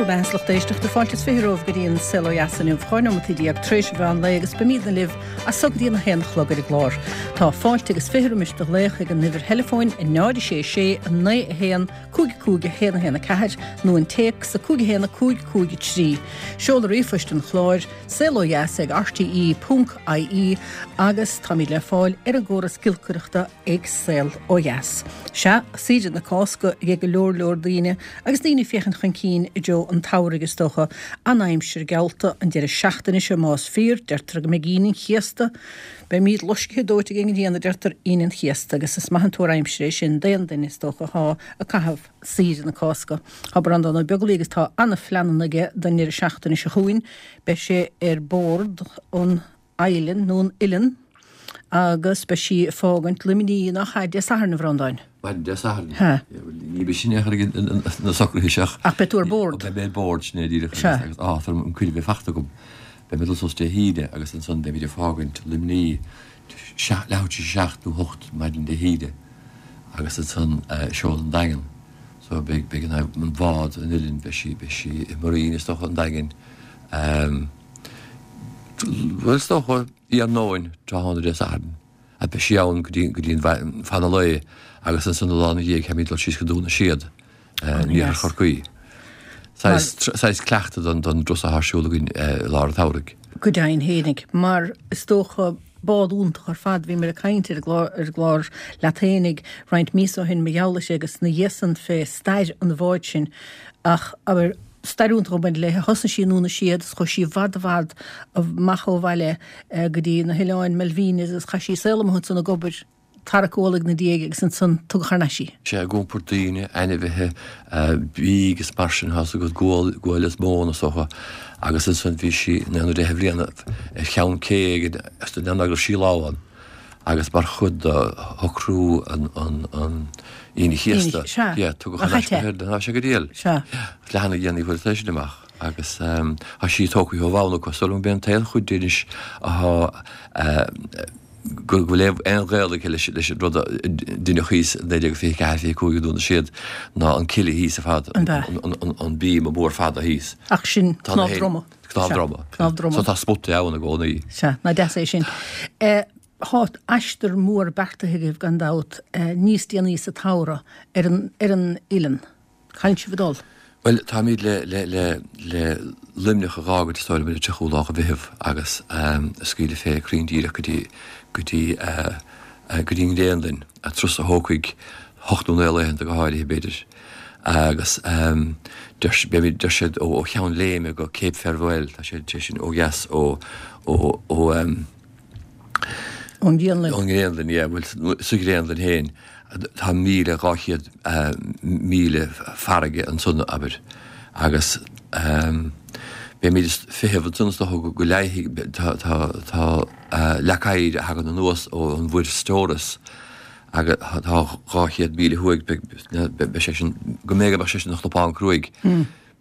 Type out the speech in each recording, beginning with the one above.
Bhur mbeatha 's lucht éisteachta, fáilte is 20 romhaibh go dtí an Saol Ó Dheas inniu, 12 nóimeataí tar éis an mheán lae agus beimídne libh as so go dtí an 1 a chlog ar an gclár. Tá fáilte agus 20 roimis do ghlaoch ag an uimhir theileafóin 0 6 6 9 1 5 5 1 1 4 nó an téacs 5 1 5 5 3. Seoladh ríomhphoist an chláir, saolodheas ag rte ponc ie agus táimid le fáil ar an gcóras giolcaireachta ag Saol Ó Dheas. Sea, saoire na Cásca ag go leor leor daoine agus daoine ag féachaint chun cinn i dtreo an tsamhraidh is dócha. An-aimsir geallta an deireadh seachtaine seo más fíor, deirtear go mbeidh Aoine an Chéasta, beimid loiscthe dóite ag an ngrian a deirtear, Aoine an Chéasta agus is maith an tuar aimsire é sin d'aon duine is dócha athá ag caitheamh saoire na Cásca. Tá Breandán Ó Beaglaoich agus tá an-phleananna aige don ndeireadh seachtaine seo chugainn. Beidh sé ar bord an Eilean nó an Uilleann agus beidh sí ag fágaint Luimnigh nach ea Dé Sathairn, a Bhreandáin? Maidin Dé Sathairn. Sea. Ní bheidh sin ag na socruithe seo. Ach beidh tú ar bord. Beidh mé ar bord, sin é díreach. Sea. Agus áthas orm an cuireadh a bheith fachta agam. Beidh mé ag dul suas Dé hAoine agus ansan beimid ag fágaint Luimnigh leathuair tar éis a seacht nó hocht maidin Dé hAoine agus ansan seoladh an Daingean. So beidh beidh an bhád an Uillinn beidh sí beidh sí i Marine is dócha an Daingin. Bhuel, is dócha, iarnóin, tráthnóna Dé Sathairn, a beidh sí ann go dtí, go dtí an fad an lae agus ansan an lá ina dhiaidh táimid ag dul síos go Dún na Séad, in iarthar Chorcaí. Saghas, saghas cleachtadh don, don dturas atá ar siúl againn i lár an tsamhraidh. Go deimhin fhéinig, mar is dócha, bád iontach ar fad, bhíomar ag caint ar an gclár, ar an gclár leat fhéinig roinnt míosa ó shin mar gheall uirthi agus ina dhiaidh san fé stair an bháid sin ach, abair, Stair iontach ag baint léi. Thosnaigh sí i nDún na Séad is chuaigh sí i bhfad i bhfad amach ó bhaile go dtí na hOileáin Malvinas agus chaith sí saol amuigh ansan ag obair, tarrac ualaigh ina diaidh agus ansan tugadh thar n-ais í. Sea, ag iompar daoine, ainmhithe, bídh agus mar sin, tá's agat, gual, gual is móin is dócha. Agus ansan bhí sí in aon deich mbliana ar cheann cé ag an go raibh sí lá ann. Agus mar chuid de shocrú an Aoine Chéasta, yeah, tugadh thar n-ais go hÉirinn, tá sé go diail. Leath na dhéanaí fuair sé sin amach agus tá sí tógtha ó bhonn acu. Is dóigh liom gurb é an t-aon chuid di anois atá go bhfuil aon ghaol aici leis an rud a deineadh thíos i 1924, 25 i nDún na Séad ná an cille thíos ar fad, an bíoma mór fada thíos. Ach sin cnámh droma. Cnámh droma. Cnámh droma. So tá spotaí ann i gcónaí. Sea, nach deas é sin. Tá aistear mór beartaithe agaibh gan dabht níos déanaí sa tsamhradh ar an ar an Uilleann. C'áit a bhfuil sibh ag dul? Bhuel, táimid le le le le Luimneach a dh'fhágaint is dóigh liom ar an tríochú lá de Mheitheamh agus ag scaoileadh fé cruinn díreach go dtí go dtí go dtí an Ghraonlainn, turas a thógfaidh hocht nó naoi laethanta go háirithe b'fhéidir. Agus deir beimid, deir siad ó Cheann Léime go Cape Farewell, tá sé sé sin ó dheas ó ó ó Ón nGraonlainn. Ón nGraonlainn, yeah, bhuel sa Ghraonlainn féin tá 1,200 míle farraige ansan, abair, agus beimid ag feitheamh ansan is dócha go leáfidh, tá tá tá leac oighir a thagann anuas ón Mhuir Storis agus tá 200,000 thuaidh, beidh sé sin, go mb'fhéidir go mbeadh sé sin ina chnapán cruaidh.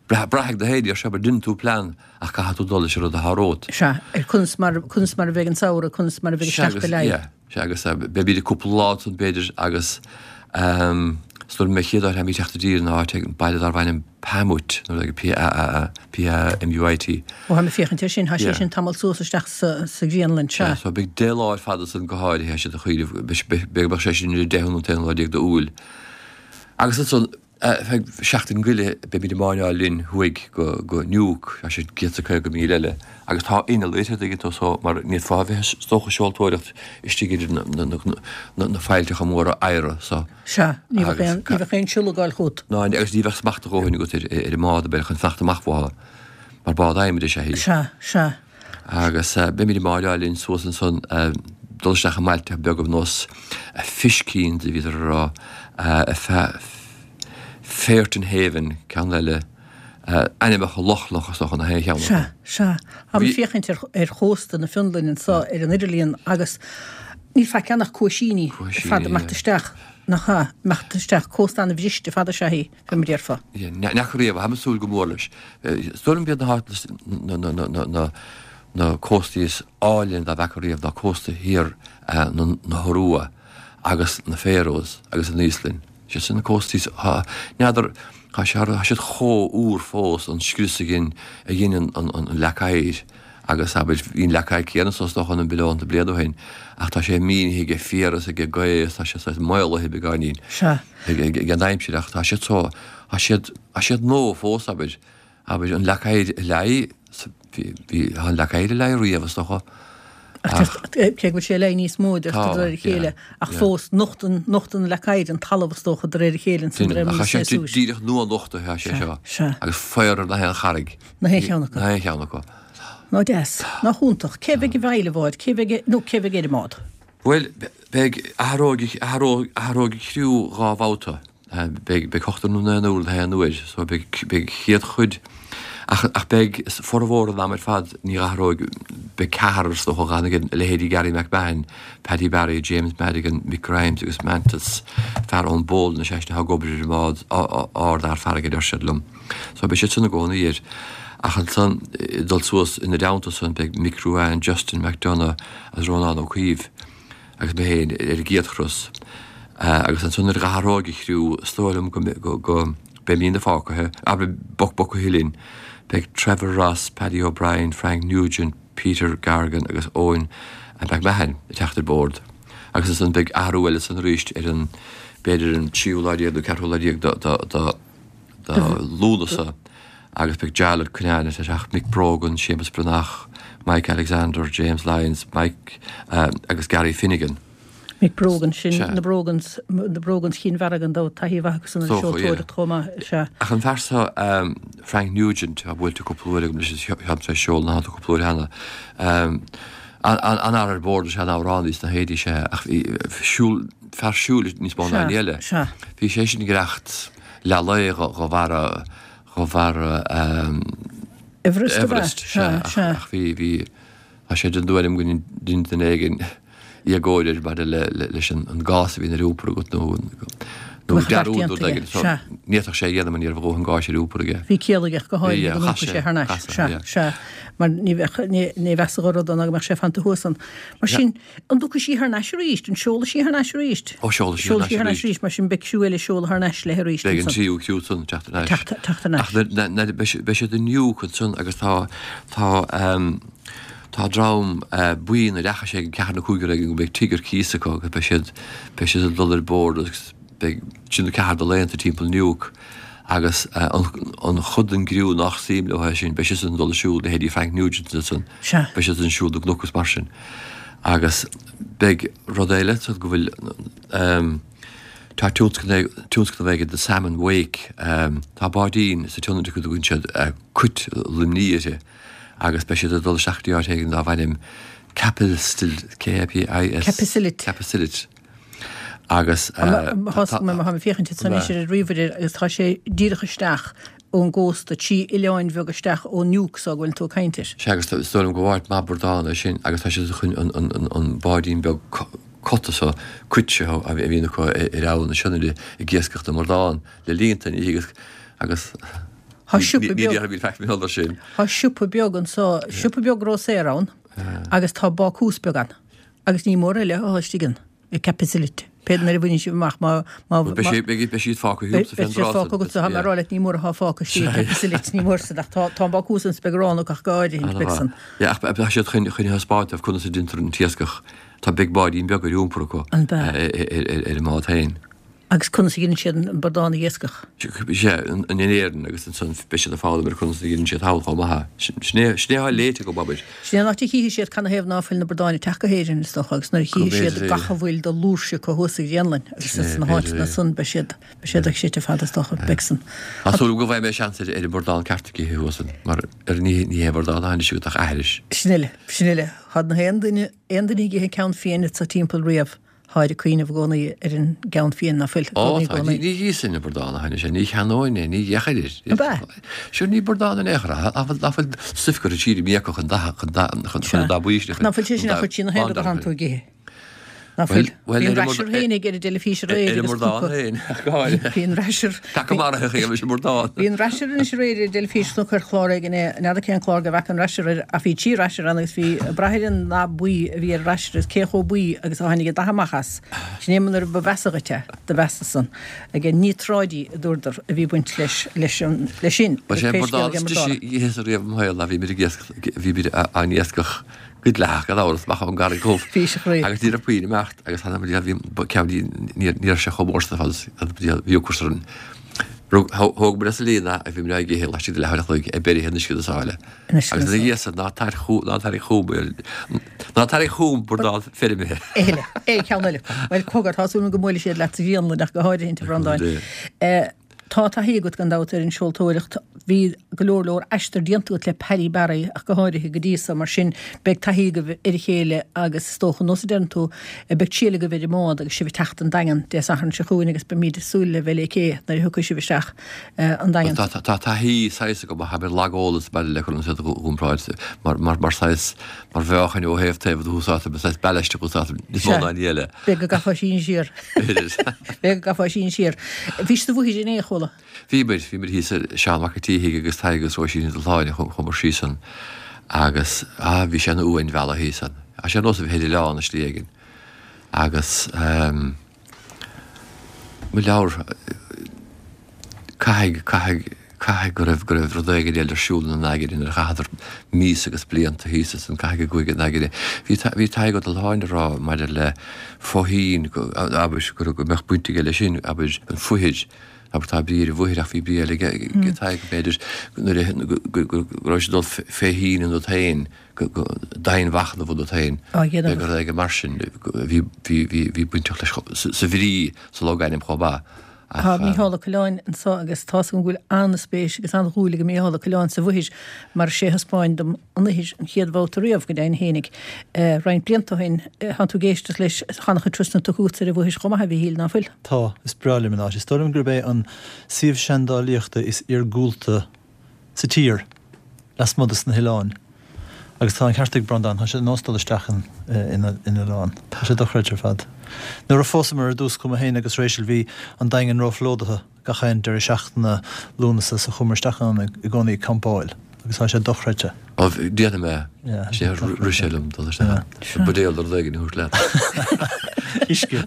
Braithfidh do théid air seo, abair, déanann tú plean ach caithfidh tú dul leis an rud atá romhat. Sea, ar conas mar, conas mar a bheidh an samhradh, conas mar a bheidh isteach go leith. Sea, agus beimid cúpla lá ansan b'fhéidir agus is dóigh liom an chéad áit a mbeimid ag teacht i dtír ná áit ag baile darb ainm Paamut, nó like P-A-A-M-U-I-T. Ó, tháim ag féachaint air sin, tá sé sin tamall suas isteach sa Ghraonlainn, sea. Sea, so beidh 10 lá ar fad ansan go háirithe, tá siad ag cuimhneamh, b'fhéidir go mbeadh sé sin ar an deichiú nó an t-aonú lá déag d'Iúil. Agus ansan, feadh seachtain goile, beimid ag máinneáil linn thuaidh go Nuuk, tá sé 150 míle eile, agus tá inneall uirthi, an dtuigeann tú, so mar ní fhéadfá a bheith is dócha ag seoltóireacht istigh idir na faillteacha móra oighre, so. Sea, ní bheadh aon, ní bheadh aon siollagáil chugat. Ná, agus ní bheadh smacht a dhóthain agat ar, ar an mbád, abair, chun fanacht amach uathu, mar bád adhmaid is ea í. Sea, sea. Agus beimid ag máinneáil linn suas ansan, dul isteach i mbailte beaga ar nós Fishkind, a bhíodar a rá, Fairton Haven, ceann eile, ainmneacha Lochlannach is dócha na haon cheann acu. Sea, sea. Táim ag féachaint ar chósta na Fionlainne anso ar an idirlíon agus níl faic ann ach cuaisíní ar fad ag imeacht isteach, nach ea, imeacht isteach, cósta an-bhriste fada is ea í, fé mar a déarfá. Yeah, n'fheaca riamh, táim ag súil go mór leis. Is dóigh liom b'iad na háiteanna, na, na cóstaí is áille dá bhfeaca riamh ná cósta thiar na hIorua agus na Faroes agus an Íoslainn. Sé sin na cóstaí, n'fheadar. Tá sé, tá siad chomh úr fós, an scrios a dhein, a dhein an, an, an leac oighir agus abair, bhí an leac oighir céanna so is dócha na billiúnta bliain ó shin ach tá sé mínithe ag féar is ag gaoth is tá sé saghas maolaithe beagáinín Sea. ag, ag, ag an aimsir ach tá siad so, tá siad, tá siad nua fós abair. Abair, an leac oighir a leáigh, bhí, bhí, tá an leac oighir a leáigh riamh is dócha. Ach cé go bhfuil sé ag leá níos mó de réir a chéile, ach fós nochtann, nochtann an leac oighir an talamh is dócha de réir a chéile ansan de réir mar a bhí sé suas. Díreach nua-nochtaithe tá sé seo. Sea. Agus faobhar ar na haon charraig. Na haon cheann acu. Na haon cheann acu. Ná deas. Nach iontach. Cé bheidh i bhfeighil an bháid? Cé bheidh, nó cé bheidh ar an mbád? Bhuel, beidh, athróidh, athróidh, athróidh an criú dhá bhabhta. Beidh, beidh ochtar nó naonúr na haon uair, so beidh, beidh chéad chuid, ach, ach beidh formhór an ama ar fad, ní athróidh, beidh ceathrar is dócha a fhanfaidh, a leithéidí Gary McMahon, Paddy Barry, James Madigan, Mick Grimes agus Mantis, fear ón bPólainn is eisean atá ag obair ar an mbád, ardfhear farraige a deir siad liom. So beidh siad san i gcónaí air. Ach ansan, ag dul suas ina dteannta san, beidh Mick Ruane, Justin McDonagh agus Rónán Ó Caoimh. agus mé féin ar an gcéad chros. Agus ansan nuair a dh'athróidh an chriú, is dóigh liom go, go, beimídne fágtha, abair, boc bogtha linn. Beidh Trevor Ross, Paddy O'Brien, Frank Nugent, Peter Gargan agus Eoin McMahon ag teacht ar bord. Agus ansan beidh athrú eile ansan arís ar an, b'fhéidir an tríú lá déag nó ceathrú lá déag de, de, de, de Lúnasa agus beidh Jarlath Cunnane ag teacht, Mick Brogan, Séamus Breathnach, Mike Alexander, James Lyons, Mike agus Gary Finnegan. Mick Brogan, sin na Brogans, na Brogans Chinn Mhara gan dabht, taithí mhaith acusan ar an seoltóireacht chomh maith, sea. Ach an fear seo, Frank Nugent, tá buailte cúpla uair agam leis, táim tar éis seoladh ina theannta cúpla uair cheana. An-fhear ar bord is ea an amhránaí sna héadaí sea, ach bhí siúl, fear siúil níos mó ná aon ní eile. Bhí sé sin ag reacht leath lae go bharra, go bharra Everest, Everest, sea, ach bhí, bhí, tá sé den tuairim go ndein duine éigin éagóir air maidir le, leis an gás a bhíonn ar iompar agat nó, nó dearúd nó rud éigin. So, ní fhéadfadh sé a dhéanamh mar ní raibh a dhóthain gáis ar iompar aige. Bhí ciall aige go háirithe go n-iompródh sé thar n-ais. Sea, sea. Mar ní bheadh, ní, ní mheasfadh an rud ná go mbeadh sé fanta thuas ann. Mar sin, An dtiocfaidh sí thar n-ais arís? An seolfaidh sí thar n-ais arís? Ó, seolfaidh sí thar n-ais arís. Mar sin beidh criú eile ag seoladh thar n-ais léi arís Beidh an tríú criú san teacht thar n-ais. Teacht thar n-ais. Ach na, na, beidh siad in Nuuk ansan agus tá, tá, tá dream, buíon a ndeachaigh sé ag ceathair nó cúigear éigin go mbeidh tigh ar cíos acu agus beidh siad, beidh siad ag dul ar bord agus beidh trí nó ceathair de laethanta timpeall Nuuk agus an chuid den gcriú nach suim leo é sin, beidh siadsan ag dul ag siúl, leithéidí Frank Nugent ansan, beidh siadsan ag siúl na gcnoc is mar sin. Agus beidh rud eile ansan go bhfuil, tá tionscnamh, tionscnamh aige The Salmon Wake, tá báidín sa tSionainn acu a dtugann siad Cuit Luimní uirthi agus beidh siad ag dul isteach go dtí áit éigin darbh ainm Kapisillit, K-A-P-I-S. Kapisillit. Kapisillit. Agus tá mé ag féachaint anois ar an ríomhaire agus tá sé díreach isteach ón gcósta, trí oileáin bheaga isteach ó Nuuk so go bhfuil tú ag caint air. Sea, agus is dóigh liom go áit maith burdán é sin agus tá siad chun an báidín beag cota so, cuit seo a bhíonn acu ar Abhainn na Sionainne ag iascach na mburdán le líonta ní agus agus Tá siopa beag. Tá siopa beag anso, siopa beag grósaera ann agus tá bácús beag ann. Agus ní mór eile atá istigh ann, i Kapisillit. Pé nuair a bhaineann sibh amach má, má, má. Beidh sé, beidh, beidh siad fágtha thús Beidh siad fágtha agat, tá mé ag rá leat, ní mór atá fágtha istigh i Kapisillit, ní mór san, ach tá, tá an bácús ann 's beidh arán acu ach go áirithint, beidh san. Yeah, ach tá siad chun, chun a thaispeáint dóibh conas a deintear an t-iascach. Tá, beidh báidín beag ar iompar acu. An bea? Ar, ar an mbád féin. Agus conas a dheineann siad an burdán a iascach? Sea, in Éirinn agus ansan beidh siad ag foghlaim ar conas a dheineann siad thall chomh maith. Sin é, sin é atá léite agam, abair. Sin é an áit a chífidh siad canathaobh ná fuil na burdáin ag teacht go hÉirinn, is dócha, agus nuair a chífidh siad gach a bhfuil de fhlúirse acu thuas sa Ghraonlainn agus sna háiteanna san beidh siad, beidh siad ag seit ar fad, is dócha, beidh san. Tá súil agam go bhfaighidh mé seans ar an bhurdán ceart a ithe thuas ann, mar ar ní, ní hé burdán atá anois agat ach aithris. Sin uile, sin uile. Tá na haon duine, aon duine ag ithe ceann fiain anso timpeall riamh. Táid ag cuimhneamh i gcónaí ar an gceann fiain ná fuil. Ó tá, ní íosfainn an burdán a tháinig sé, ní cheannóinn é, ní fhéachfainn air. Ab ea? Sure ní burdán in aon chor é, ná fuil stuif curtha siar i míoca chun dath, chun dath, chun an dath buí sin a chur. Ná fuil sé sin ach chuir sí na haon rud a thánn tú ag ithe. Ná fuil? Bhí an Rasher féinig ar an dteilifís aréir agus cúpla. Bhí an Rasher. Peaca maraithe a bhí burdán. Bhí an Rasher anois aréir ar an dteilifís chonac ar chlár éigin é, n'fheadar cén clár go bhfeaca an Rasher air ach bhí trí Rasher ann agus bhí ag brath ar an ndath buí a bhí ar an Rasher agus cé chomh buí agus a tháinig an dath amach as. Sin é nuair ba mheasa dhuit é, do mheasa san. Ag níotráidí a dúradar a bhí baint leis leis an leis sin. Ba sé an burdán is deise a d'itheas riamh im shaol ná bhí muid ag iascach bhí muid á n-iascach go dleathach gan amhras amach ón gCarraig Dhubh Bhí sé chroí. agus ní raibh puinn imeacht agus tháinig muid bhí ceann ní ní raibh sé chomh mór san fad agus bhí ocras orainn. Rug thóg muid as an líon é agus bhí muid á ithe laistigh de leathuair a chloig é beirithe in uisce na sáile. Agus ina dhiaidh san ná tar chugam ná tarraing chugam ná tarraing chugam burdán feirmithe. Eile, é ceann eile. Bhuel cogar tá súil agam go mbuailfidh siad leat sa ghrianlann ach go háirithe a Bhreandáin. Tá taithí agat gan dabht ar an seoltóireacht. Bhí go leor leor aistear déanta agat le Paddy Barry ach go háirithe go dtí so, mar sin beidh taithí agaibh ar a chéile agus is dócha, nós a deireann tú, beidh triail agaibh ar an mbád agus sibh ag teacht an Daingean Dé Sathairn seo chugainn agus beimid ag súil le bheith lé cé nuair a thiocfaidh sibh isteach an Daingean. Tá tá taithí saghas agam ach tá mé lag eolas maidir le cur an saol iompráid mar mar mar saghas mar mheáchain ó thaobh taobh a úsáidtear mar saghas ballast a úsáidtear níos mó ná aon ní eile. B'fhéidir go gcaithfeá síneadh siar. B'fhéidir go gcaithfeá síneadh siar. Bhí sibh sa Mhuithir inné, a chuala. Bhí muid, bhí muid thíos ar Seán Mac an tSíthigh agus Tadhg agus Róisín Ní Dubhshláine chuamar síos ann agus, ah, bhí sé ina uainmhealladh thíos ann. Tá sé ar nós a bheith ar oileán i slí éigin. Agus, ehm, mo leabhar, caithfidh, caithfidh, Caithfidh go raibh, go raibh rud éigin eile ar siúl ina n-aigne nuair a chaitheadar míosa agus blianta thíos ansan, caithfidh go gcuaigh a n-aigne. Bhí, bhí Tadhg Ó Dubhshláine ag rá maidir le fothoinn, go, abair, go raibh, go mbeadh baint aige leis sin, abair, an fhoithir, abair, tá brí ar an bhfoithir ach bhí brí eile aige, ag Tadhg, b'fhéidir, nuair a, go, go, go, go raibh sé ag dul fé thoinn ionat féin, go, go, domhainmhachnamh ionat féin, Á dhéanamh. rud éigin mar sin, bhí, bhí, bhí, bhí bainteach leis sa, sa bhrí sa logainm chomh maith. Tá Mícheál Ó Coileáin anseo agus tá's agam go bhfuil an-spéis agus an-dhúil ag Mícheál Ó Coileáin sa bhFoithir mar is é a thaispeáin dom an Fhoithir an chéad bhabhta riamh, go deimhin fhéinig, roinnt blianta ó shin. Tánn tú ag éisteacht leis, tá an-chuid turasanna tugtha agatsa ar an bhFoithir chomh maith, a Mhíchíl, ná fuil? Tá, is breá liom an áit. Is dóigh liom gurb é an suíomh seandálaíochta is iargúlta sa tír, lasmuigh de na hoileáin. Agus tá an ceart ag Breandán, tá sé ar nós dul isteach in oileán. Tá sé dochreidte ar fad. Nuair a phósamar ar dtús, chuaigh mé féin agus Rachel, bhí an Daingean róphlódaithe gach aon deireadh seachtaine Lúnasa so chuamar isteach ann i gcónaí ag campáil agus tá sé dochreidte. Ó, déanfaidh mé. Sea, rith sé liom dul isteach ann. Buidéal nó rud éigin a thabhairt leat. Uisce.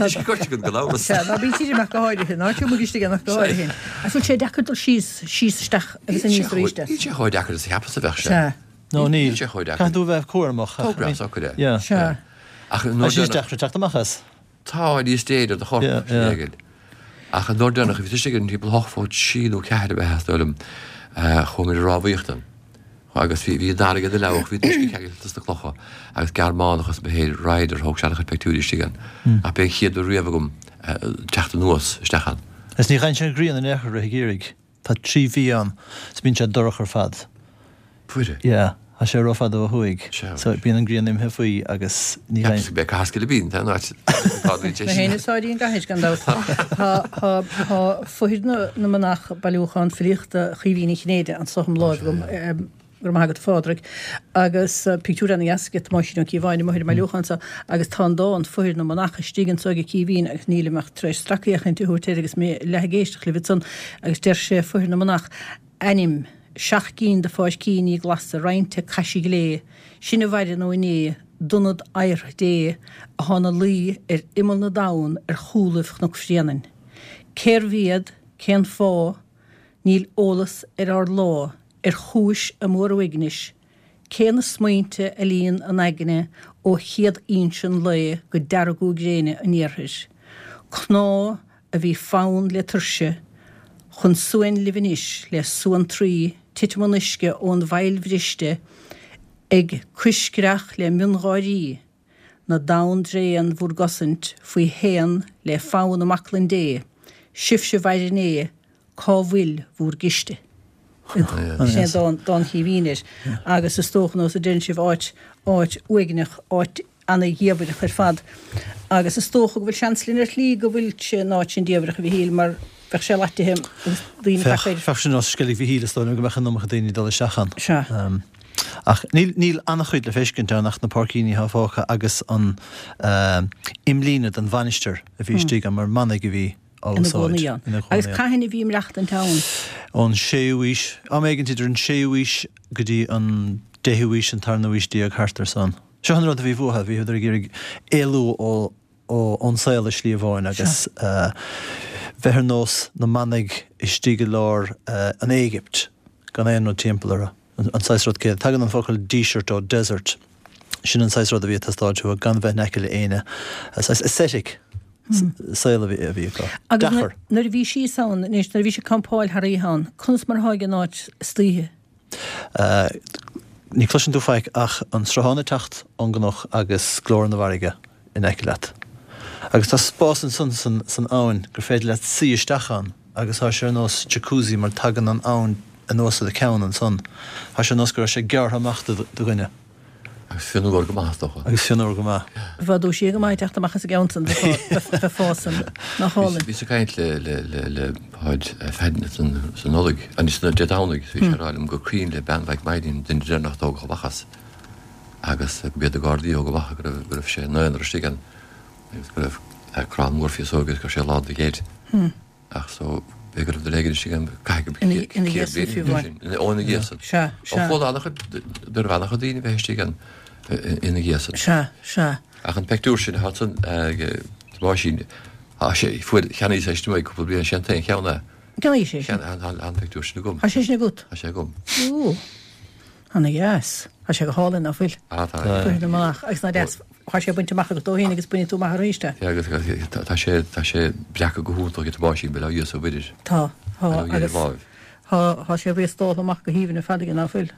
Uisce goirte agat gan amhras. Sea, ná bí tirim ach go háirithe. Ná tiúmaigh istigh ann ach go háirithe. Ach bhfuil sé deacair dul síos, síos isteach agus aníos arís de? Níl sé chomh deacair is a cheapas a bheadh sé. Sea. No, níl. Níl sé chomh deacair. Caithfidh tú a bheith cúramach. Tóg breá socair é. Yeah. Sea. Ach an uair deireanach. Tá sé deacair teacht amach as. Tá, níos déine ar do chorp, sin éigin. Ach an uair deireanach, bhí tusa ag an timpeall hocht fó trí nó ceathair ab ea, is dóigh liom, chuaigh muid ag rámhaíocht ann. Agus bhí, bhí an fharraige ina leabhadh, bhí an t-uisce ceangailte sna clocha, agus Gearmánach as Mathair, Ryder, thóg sé an-chuid peictiúirí istigh ann. Ach b'é an chéad uair riamh agam teacht anuas isteach ann. Is ní gheibheann sé an ghrian in aon chor i rith an gheimhridh. Tá trí mhí ann is bíonn sé dorcha ar fad. Fuaire. Yeah. Tá sé rófhada ó thuaidh. Sea. So bíonn an ghrian imithe faoi agus ní gheibheann. Ceapas go mbeidh Cathair Scilipín, tá an áit atá duit é sin. Mé féin is áirí an gcaithis gan dabht. Tá, tá, tá Foithir na, na Manach, bailiúchán filíochta Chaoimhín Uí Chinnéide anso im láimh agam. Go raibh maith agat a Phádraig. Agus pictiúr ana-dheas aige Tomáisín Ó Cíobháin amuigh ar an mbailiúchán seo agus tá an dán Foithir na Manach istigh anso ag Caoimhín agus nílim ach tar éis stracfhéachaint a thabhairt air agus mé leath ag éisteacht libh ansan agus deir sé Foithir na Manach, Ainm, Seacht gcinn de pháircíní glasa roinnte caise ghlé, sin a mhaireann ó inné d'ionad adhartha Dé athá 'na luí ar imeall na dtonn ar chúlaibh Chnoc Bhréanainn. Cérbh iad? Cén fáth? Níl eolas ar ár lá ar chúis a móruaignis, cé na smaointe a líon a n-aigne ó chéad fhoinse an lae go deargú gréine an iarthair. Cnámh a bhí fann le tuirse, chun suain libh anois le suantraí titim an uisce ón bhfaill bhriste ag coiscreach le miongháirí na dtonn dtréan bhur gcosaint faoi shéan le fonn i mbaclainn Dé, sibhse mhair inné, cá bhfuil bhúr gciste? Sin é dán, dán Chaoimhín air. Agus is dócha, nós a deireann sibh, áit, áit uaigneach, áit ana-dhiamhaireach ar fad. Agus is dócha go bhfuil seans linn ar shlí go bhfuil sé an áit sin diamhaireach, a Mhichíl, mar bheadh sé laitithe agus daoine ag teacht air. Bheadh sé nós Sceilg Mhichíl, is dóigh liom go mbeadh an iomarca daoine ag dul isteach ann. Sea. Ach níl, níl an-chuid le feiscint ann ach na páircíní atá fágtha agus an imlíne den mhainistir a bhí istigh ann mar manaigh a bhí á Ina úsáid. gcónaí ann. Ina gcónaí Agus ann. cathain a bhí ag maireachtaint ann? Ón séú aois, am éigint idir an séú aois go dtí an deichiú aois, an tarna aois déag, thart ar san. Seo an rud a bhí uathu, bhíodar ag iarraidh éalú ó, ón saol i slí amháin agus bheith ar nós na manaigh istigh i lár an Éigipt gan aon rud timpeall orthu. An saghas rud céanna. Tagann an focal díseart ó desert. Sin an saghas rud a bhí ag teastáilt uathu, gan bheith in aice le éinne. Saghas ascetic saol a bhí acu. Agus Deacair. nuair a bhí síos ann anois, nuair a bhí sibh ag campáil thar oíche ann, conas mar atá ag an áit istoíche? Ní chloiseann tú faic ach an sruthán ag teacht ón gcnoc agus glór na bhfarraige in aice leat. Agus tá spás ansan san abhainn gur féidir leat suí isteach ann agus tá sé ar nós jacuzzi mar tagann an abhainn anuas ar do cheann ansan. Tá sé ar nós go raibh sé gearrtha amach do dhuine. Agus fionnuar go maith, is dócha. Agus fionnuar go maith. Bheadh dúisithe go maith ag teacht amach as an gceann san, bheifeá san, nach álainn. Bhíos ag caint le le le le Páid Pheaidín sa Nollaig, anois Dé Domhnaigh, bhí sé ag rá liom gur cuimhin le bean Mhaidhc Mháirín, duine deireanach a tógadh amach as, agus go mb'iad na Gardaí a thóg amach go raibh go raibh sé ina aonar istigh ann agus go raibh crann mór féasóige agus go raibh sé lán de gheit. Ach so, b'fhéidir go raibh duine éigin istigh ann, caithfidh go Ina ina ghéasan fiú amháin. Ó, ina ghéasan. Sea, Ó, sea. chuala an-chuid, dúradh an-chuid daoine bheith istigh ann ina ghéasan. Sea, sea. Ach an peictiúr sin atá ansan ag Tomáisín, tá sé, fuair, cheannaíos é sin uaidh cúpla bliain, sé an t-aon cheann é. Cheannaís é sin? Tá an peictiúr sin agam. Tá sé sin agat? Tá sé agam. Ó. Ana dheas. Tá sé go hálainn, ná fuil? Ah, tá. Cuirfidh amach agus ná deas. Tá sé bainte amach agat dó féin agus bainfidh tú amach arís é. Yeah, agus tá sé, tá sé breactha go hiontach ag Tomáisín, bail ó Dhia is ó Mhuire air. Tá, tá, Bail ó Dhia ar agus láimh. tá, tá sé riastáltha amach go haoibhinn ar fad aige, ná fuil?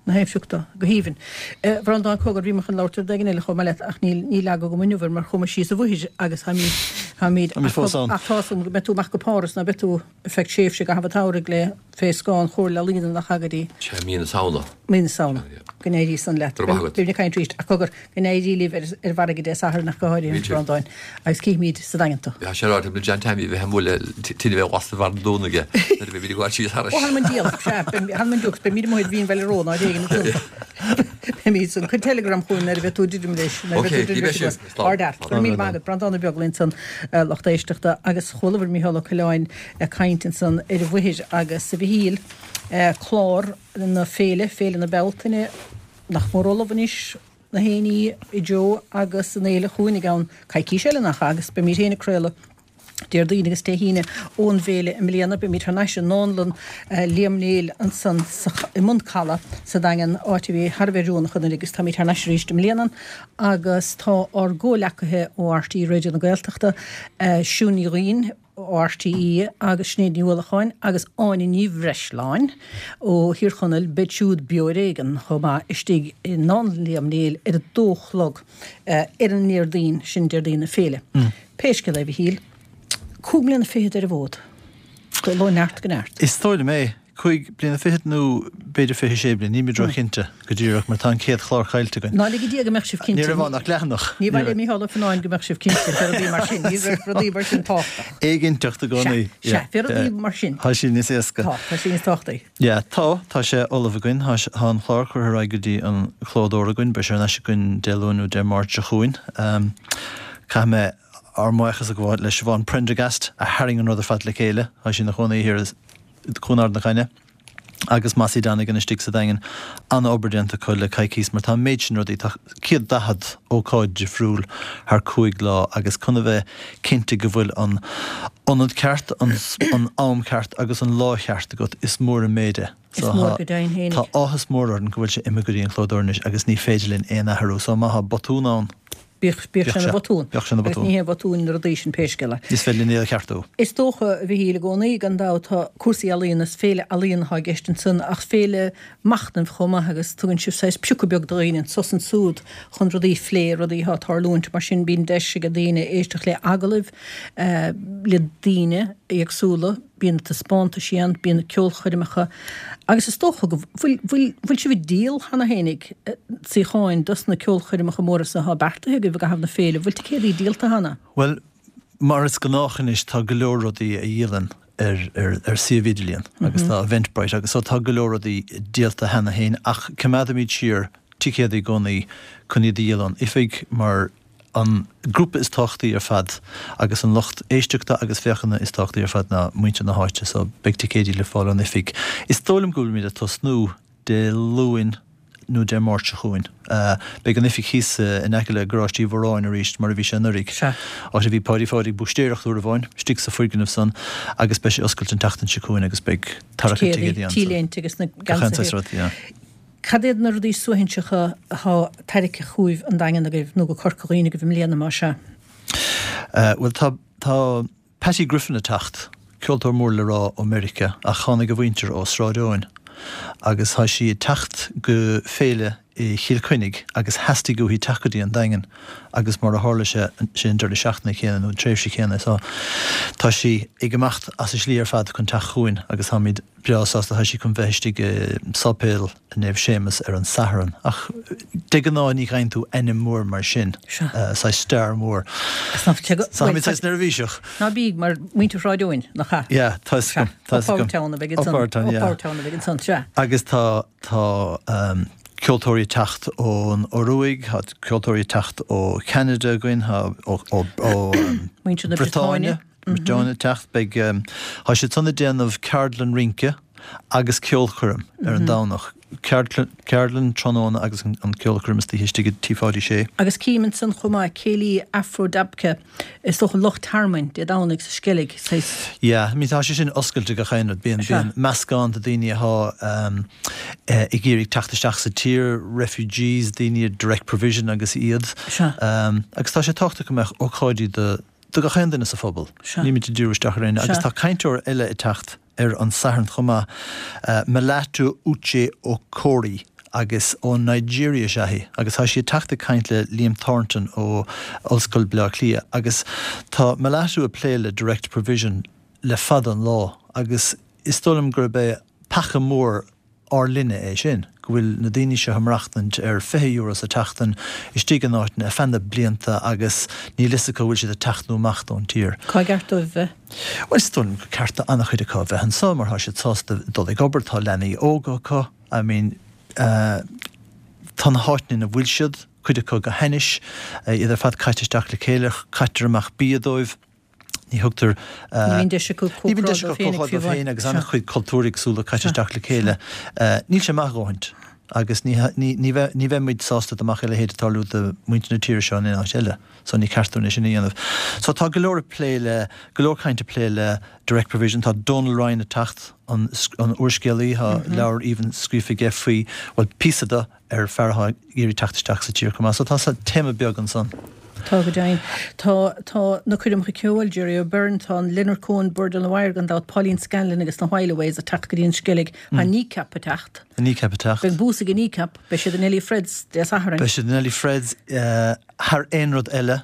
Na haimsiúchta, go haoibhinn. A Bhreandáin, cogar, bhí mé chun labhairt ar rud éigin eile chomh maith leat ach níl, níl eagla agam inniu air mar chuaigh mé síos an bhóthair agus táimid, táimid, Táimid fós ann. ach tá's agam go mbeidh tú amach go Páras ná beidh tú ar feadh tréimhse i gcaitheamh an tsamhraidh le fé scáth an Chomhairle Ealaíona nach ea go dtí. Sea, mí na Samhna. Mí na Samhna. Go n-éirí san leat. Go raibh maith agat. Beimid ag caint arís. Ach cogar, go n-éirí libh ar an bhfarraige Dé Sathairn ach go háirithe, a Bhreandáin. Agus cífimid sa Daingean tú. Tá sé ráite agam le John Tammy a bheith ag bualadh tine bheith lasta bharr an Domhnaigh aige nuair a bheimid ag gabháil síos thairis. Ó, th'anam 'on diabhal, sea, th'anam 'on diabhal, beimid amuigh ar Mhín Bhaile Ró ná ar éigean a dúnta. Beimid san. Cuir teileagram chugainn nuair a bheidh tú ag druidim leis. Nuair a bheidh tú ag druidim leis anuas. Ard-fhear. Go raibh míle maith agat. Breandán Ó Beaglaoi ansan, lucht éisteachta, agus chualabhair Mícheál Ó Coileáin ag caint ansan ar an bhFaothir agus a Mhichíl, clár na féile, Féile na Bealtaine, nach mór ullamh anois, na haon ní i dtreo agus an fhéile chugainn i gceann coicís eile, nach ea? Agus beimid féin ag craoladh Déardaoin agus Dé hAoine ón bhféile i mbliana. Beimid thar n-ais i nDánlann Liam Néill ansan i mBun Calaidh sa Daingean, áit a bhí thar a bheith oiriúnach anuraidh agus táimid thar n-ais arís i mbliana agus tá ár gcomhleacaithe ó RTÉ Raidió na Gaeltachta, Siún Ní Dhuinn ó RTÉ agus Sinéad Ní Uallacháin agus Áine Ní Bhreisleáin ó Thír Chonaill, beid siúd beo ar éigean chomh maith istigh i nDánlann Liam Néill ar a dó a chlog ar an nDéardaoin, sin Déardaoin na féile. Pé scéal é, a Mhichíl, 25 mbliana ar an bhfód, dul ó neart go neart. Is dóigh liom é. 5 bliana fichead nó b'fhéidir 26 bliain, nílimid róchinnte go díreach mar tá an chéad chlár caillte againn. Ná lige Dia go mbeadh sibh cinnte. Ní raibh ann ach leathanach. Ní mhaith le Mícheál Ó Fionnáin go mbeadh sibh cinnte fé rudaí mar sin. Ní raibh rudaí mar sin tábhachtach. Éiginnteacht i gcónaí. Sea, sea, fé rudaí mar sin. Tá sí níos éasca. Tá, tá sí níos tábhachtaí. Yeah, tá, tá sé ullamh againn. Tá, tá an clár curtha ar aghaidh go dtí an clódóir againn. Beidh sé ar ais againn Dé Luain nó Dé Máirt seo chugainn. Caithfidh mé ár mbuíochas a ghabháil le Siobhán Prendergast a tharraing an rud ar fad le chéile. Tá sí ina chónaí thiar i gCuan Ard na Caithne agus Mossie Donegan istigh sa Daingean. An-obair déanta acu le coicíos mar tá an méid sin rudaí, tá 140 ócáid difriúil thar 5 lá agus chun a bheith cinnte go bhfuil an ionad ceart, an am ceart agus an lá cheart agat, is mór an méid é. Is mór go deimhin fhéinig. Tá áthas mór orainn go bhfuil sé imithe go dtí an clódóir anois agus ní féidir linn aon athrú so má tá botún ann, Bíodh sé ina bhotún. Bíodh sé ina Agus bhotún. ní haon bhotún na rudaí sin pé scéal é. Is féidir linn iad a cheartú. Is dócha, a Mhichíl, i gcónaí, gan dabht, tá cúrsaí ealaíona, is féile ealaíon atá i gceist ansan ach féile machnaimh chomh maith agus tugann sibh saghas piocadh beag do dhaoine anso is ansúd chun rudaí a phlé, rudaí atá ag tarlúint. Mar sin bíonn deis ag daoine éisteacht le agallaimh le daoine éagsúla. Bíonn na taispeántaisí ann, bíonn na ceolchoirmeacha agus is dócha go bhfuil, bhfuil, bhfuil sibh ag díol cheana fhéinig suíocháin dos na ceolchoirmeacha móra so atá beartaithe agaibh i gcaitheamh na féile. Bhfuil ticéadaí díolta cheana? Bhuel, mar is gnách anois tá go leor rudaí a dhíolann. ar ar ar suíomh idirlíon agus tá Eventbrite agus so tá go leor rudaí díolta cheana féin ach coimeádaimid siar ticéadaí i gcónaí chun iad a dhíol ón oifig mar an grúpa is tábhachtaí ar fad agus an lucht éisteachta agus féachana is tábhachtaí ar fad ná muintir na háite so beidh ticéidí le fáil ón oifig. Is dóigh liom go bhfuilimid ag tosnú Dé Luain nó Dé Máirt seo chugainn. Beidh an oifig thíos in aice le Garáiste Uí Mhóráin arís mar a bhí sé anuraidh, áit a bhí Páidí Pháidí ag búistéireacht uair amháin, istigh sa foirgneamh san agus beidh sé oscailte an tseachtain seo chugainn agus beidh tarrac an ticéidí ansan. T-léinte agus na geansaithe. Cad iad na rudaí suaithinseacha atá tarraicthe chugaibh an Daingean agaibh nó go Corca Dhuibhne agaibh i mbliana más ea? Bhuel tá, tá Patty Griffin ag teacht, ceoltóir mór le rá ó Meiriceá ach tháinig a mhuintir ó Sráid Eoin agus tá sí ag teacht go féile i Chill Chainnigh agus theastaigh uaithi teacht go dtí an Daingean agus mar a tharla sé, sé an deireadh seachtaine céanna nó an tréimhse chéanna so tá sí ag imeacht as a slí ar fad chun teacht chugainn agus táimid breá sásta, tá sí chun bheith istigh i Sáipéal Naomh Séamus ar an Satharn. Ach de ghnáth ní gheibheann tú ainm mór mar sin, saghas star mór. So táimid saghas neirbhíseach. Ná bíodh, mar muintir Shráid Eoin, nach ea? Yeah, tá 'fhios agam, tá 'fhios agam. Up Our Town a bheidh ansan. Up Our Town, yeah. Up Our Town a bheidh ansan, sea. Agus tá, tá ceoltóirí ag teacht ón Ioruaidh, tá ceoltóirí ag teacht ó Cheanada againn, tá ó, ó, ó Muintir na Briotáine. Briotáine ag teacht. Beidh, tá siad san ag déanamh ceardlann rince agus ceolchoirm ar an Domhnach. Ceardlann tráthnóna agus an ceolchoirm istoíche istigh i Tí Pháidí Sé. Agus cím ansan chomh maith, Céilí Afro Dabke, is dócha lucht tearmainn, Dé Domhnaigh sa Sceilg, saghas. Yeah, I mean tá sé sin oscailte gach aon rud. Bíonn, bíonn meascán de daoine atá ag iarraidh teacht isteach sa tír, refugees, daoine ar direct provision agus iad. Agus tá sé tábhachtach go mbeadh ócáidí do do gach aon duine sa phobal. Nílimid ag díriú isteach ar éinne. Agus tá cainteoir eile ag teacht ar an Satharn chomh maith, Melatu Uche Okori, agus ó Nigeria is ea í. Agus tá sí ag teacht ag caint le Liam Thornton ó Ollscoil Bleá Cliath. Agus tá Melatu ag plé le Direct Provision le fada an lá agus is dóigh liom gurb é peaca mór ár linne é sin, go bhfuil na daoine seo ag maireachtaint ar €20 sa tseachtain istigh in áiteanna ar feadh na blianta agus níl fhios acu an bhfuil siad ag teacht nó amach ón tír. Cá gceart dóibh bheith? Bhuel, is dóigh liom gur ceart do an-chuid acu a bheith anseo mar tá siad sásta dul ag obair, tá leanaí óga acu, I mean, tá na háiteanna ina bhfuil siad, cuid acu go hainnis, iad ar fad caite isteach le chéile, caitear amach bia dóibh. Ní thugtar. Ní bhíonn deis acu comhrá dóibh féin agus an-chuid cultúir éagsúla caite isteach le chéile. Níl sé maith a dhóthaint agus ní bheidh muid sásta dá mbeadh a leithéid ag tarlú do mhuintir na tíre seo in aon áit eile. So ní ceart dúinn é sin a dhéanamh. So tá go leor ag plé le, go leor caint ag plé le direct provision. Tá Donal Ryan ag teacht, an úrscéalaí, tá leabhar aoibhinn scríofa aige faoi, bhuel píosa de, ar fear atá ag iarraidh teacht isteach sa tír chomh maith. So tá téama beag ansan. Tá go deimhin. Tá, tá na coirmeacha ceoil, Gerry O'Beirne, tá an Leonard Cohen, Bird on the Wire gan dabht, Pauline Scanlon agus na Whileaways ag teacht go dtí an Sceilg. Tá Kneecap ag teacht. Tá Kneecap ag teacht. Beidh bús ag Kneecap. Beidh siad in Neilí Fred's Dé Sathairn. Beidh siad in Neilí Fred's thar aon rud eile.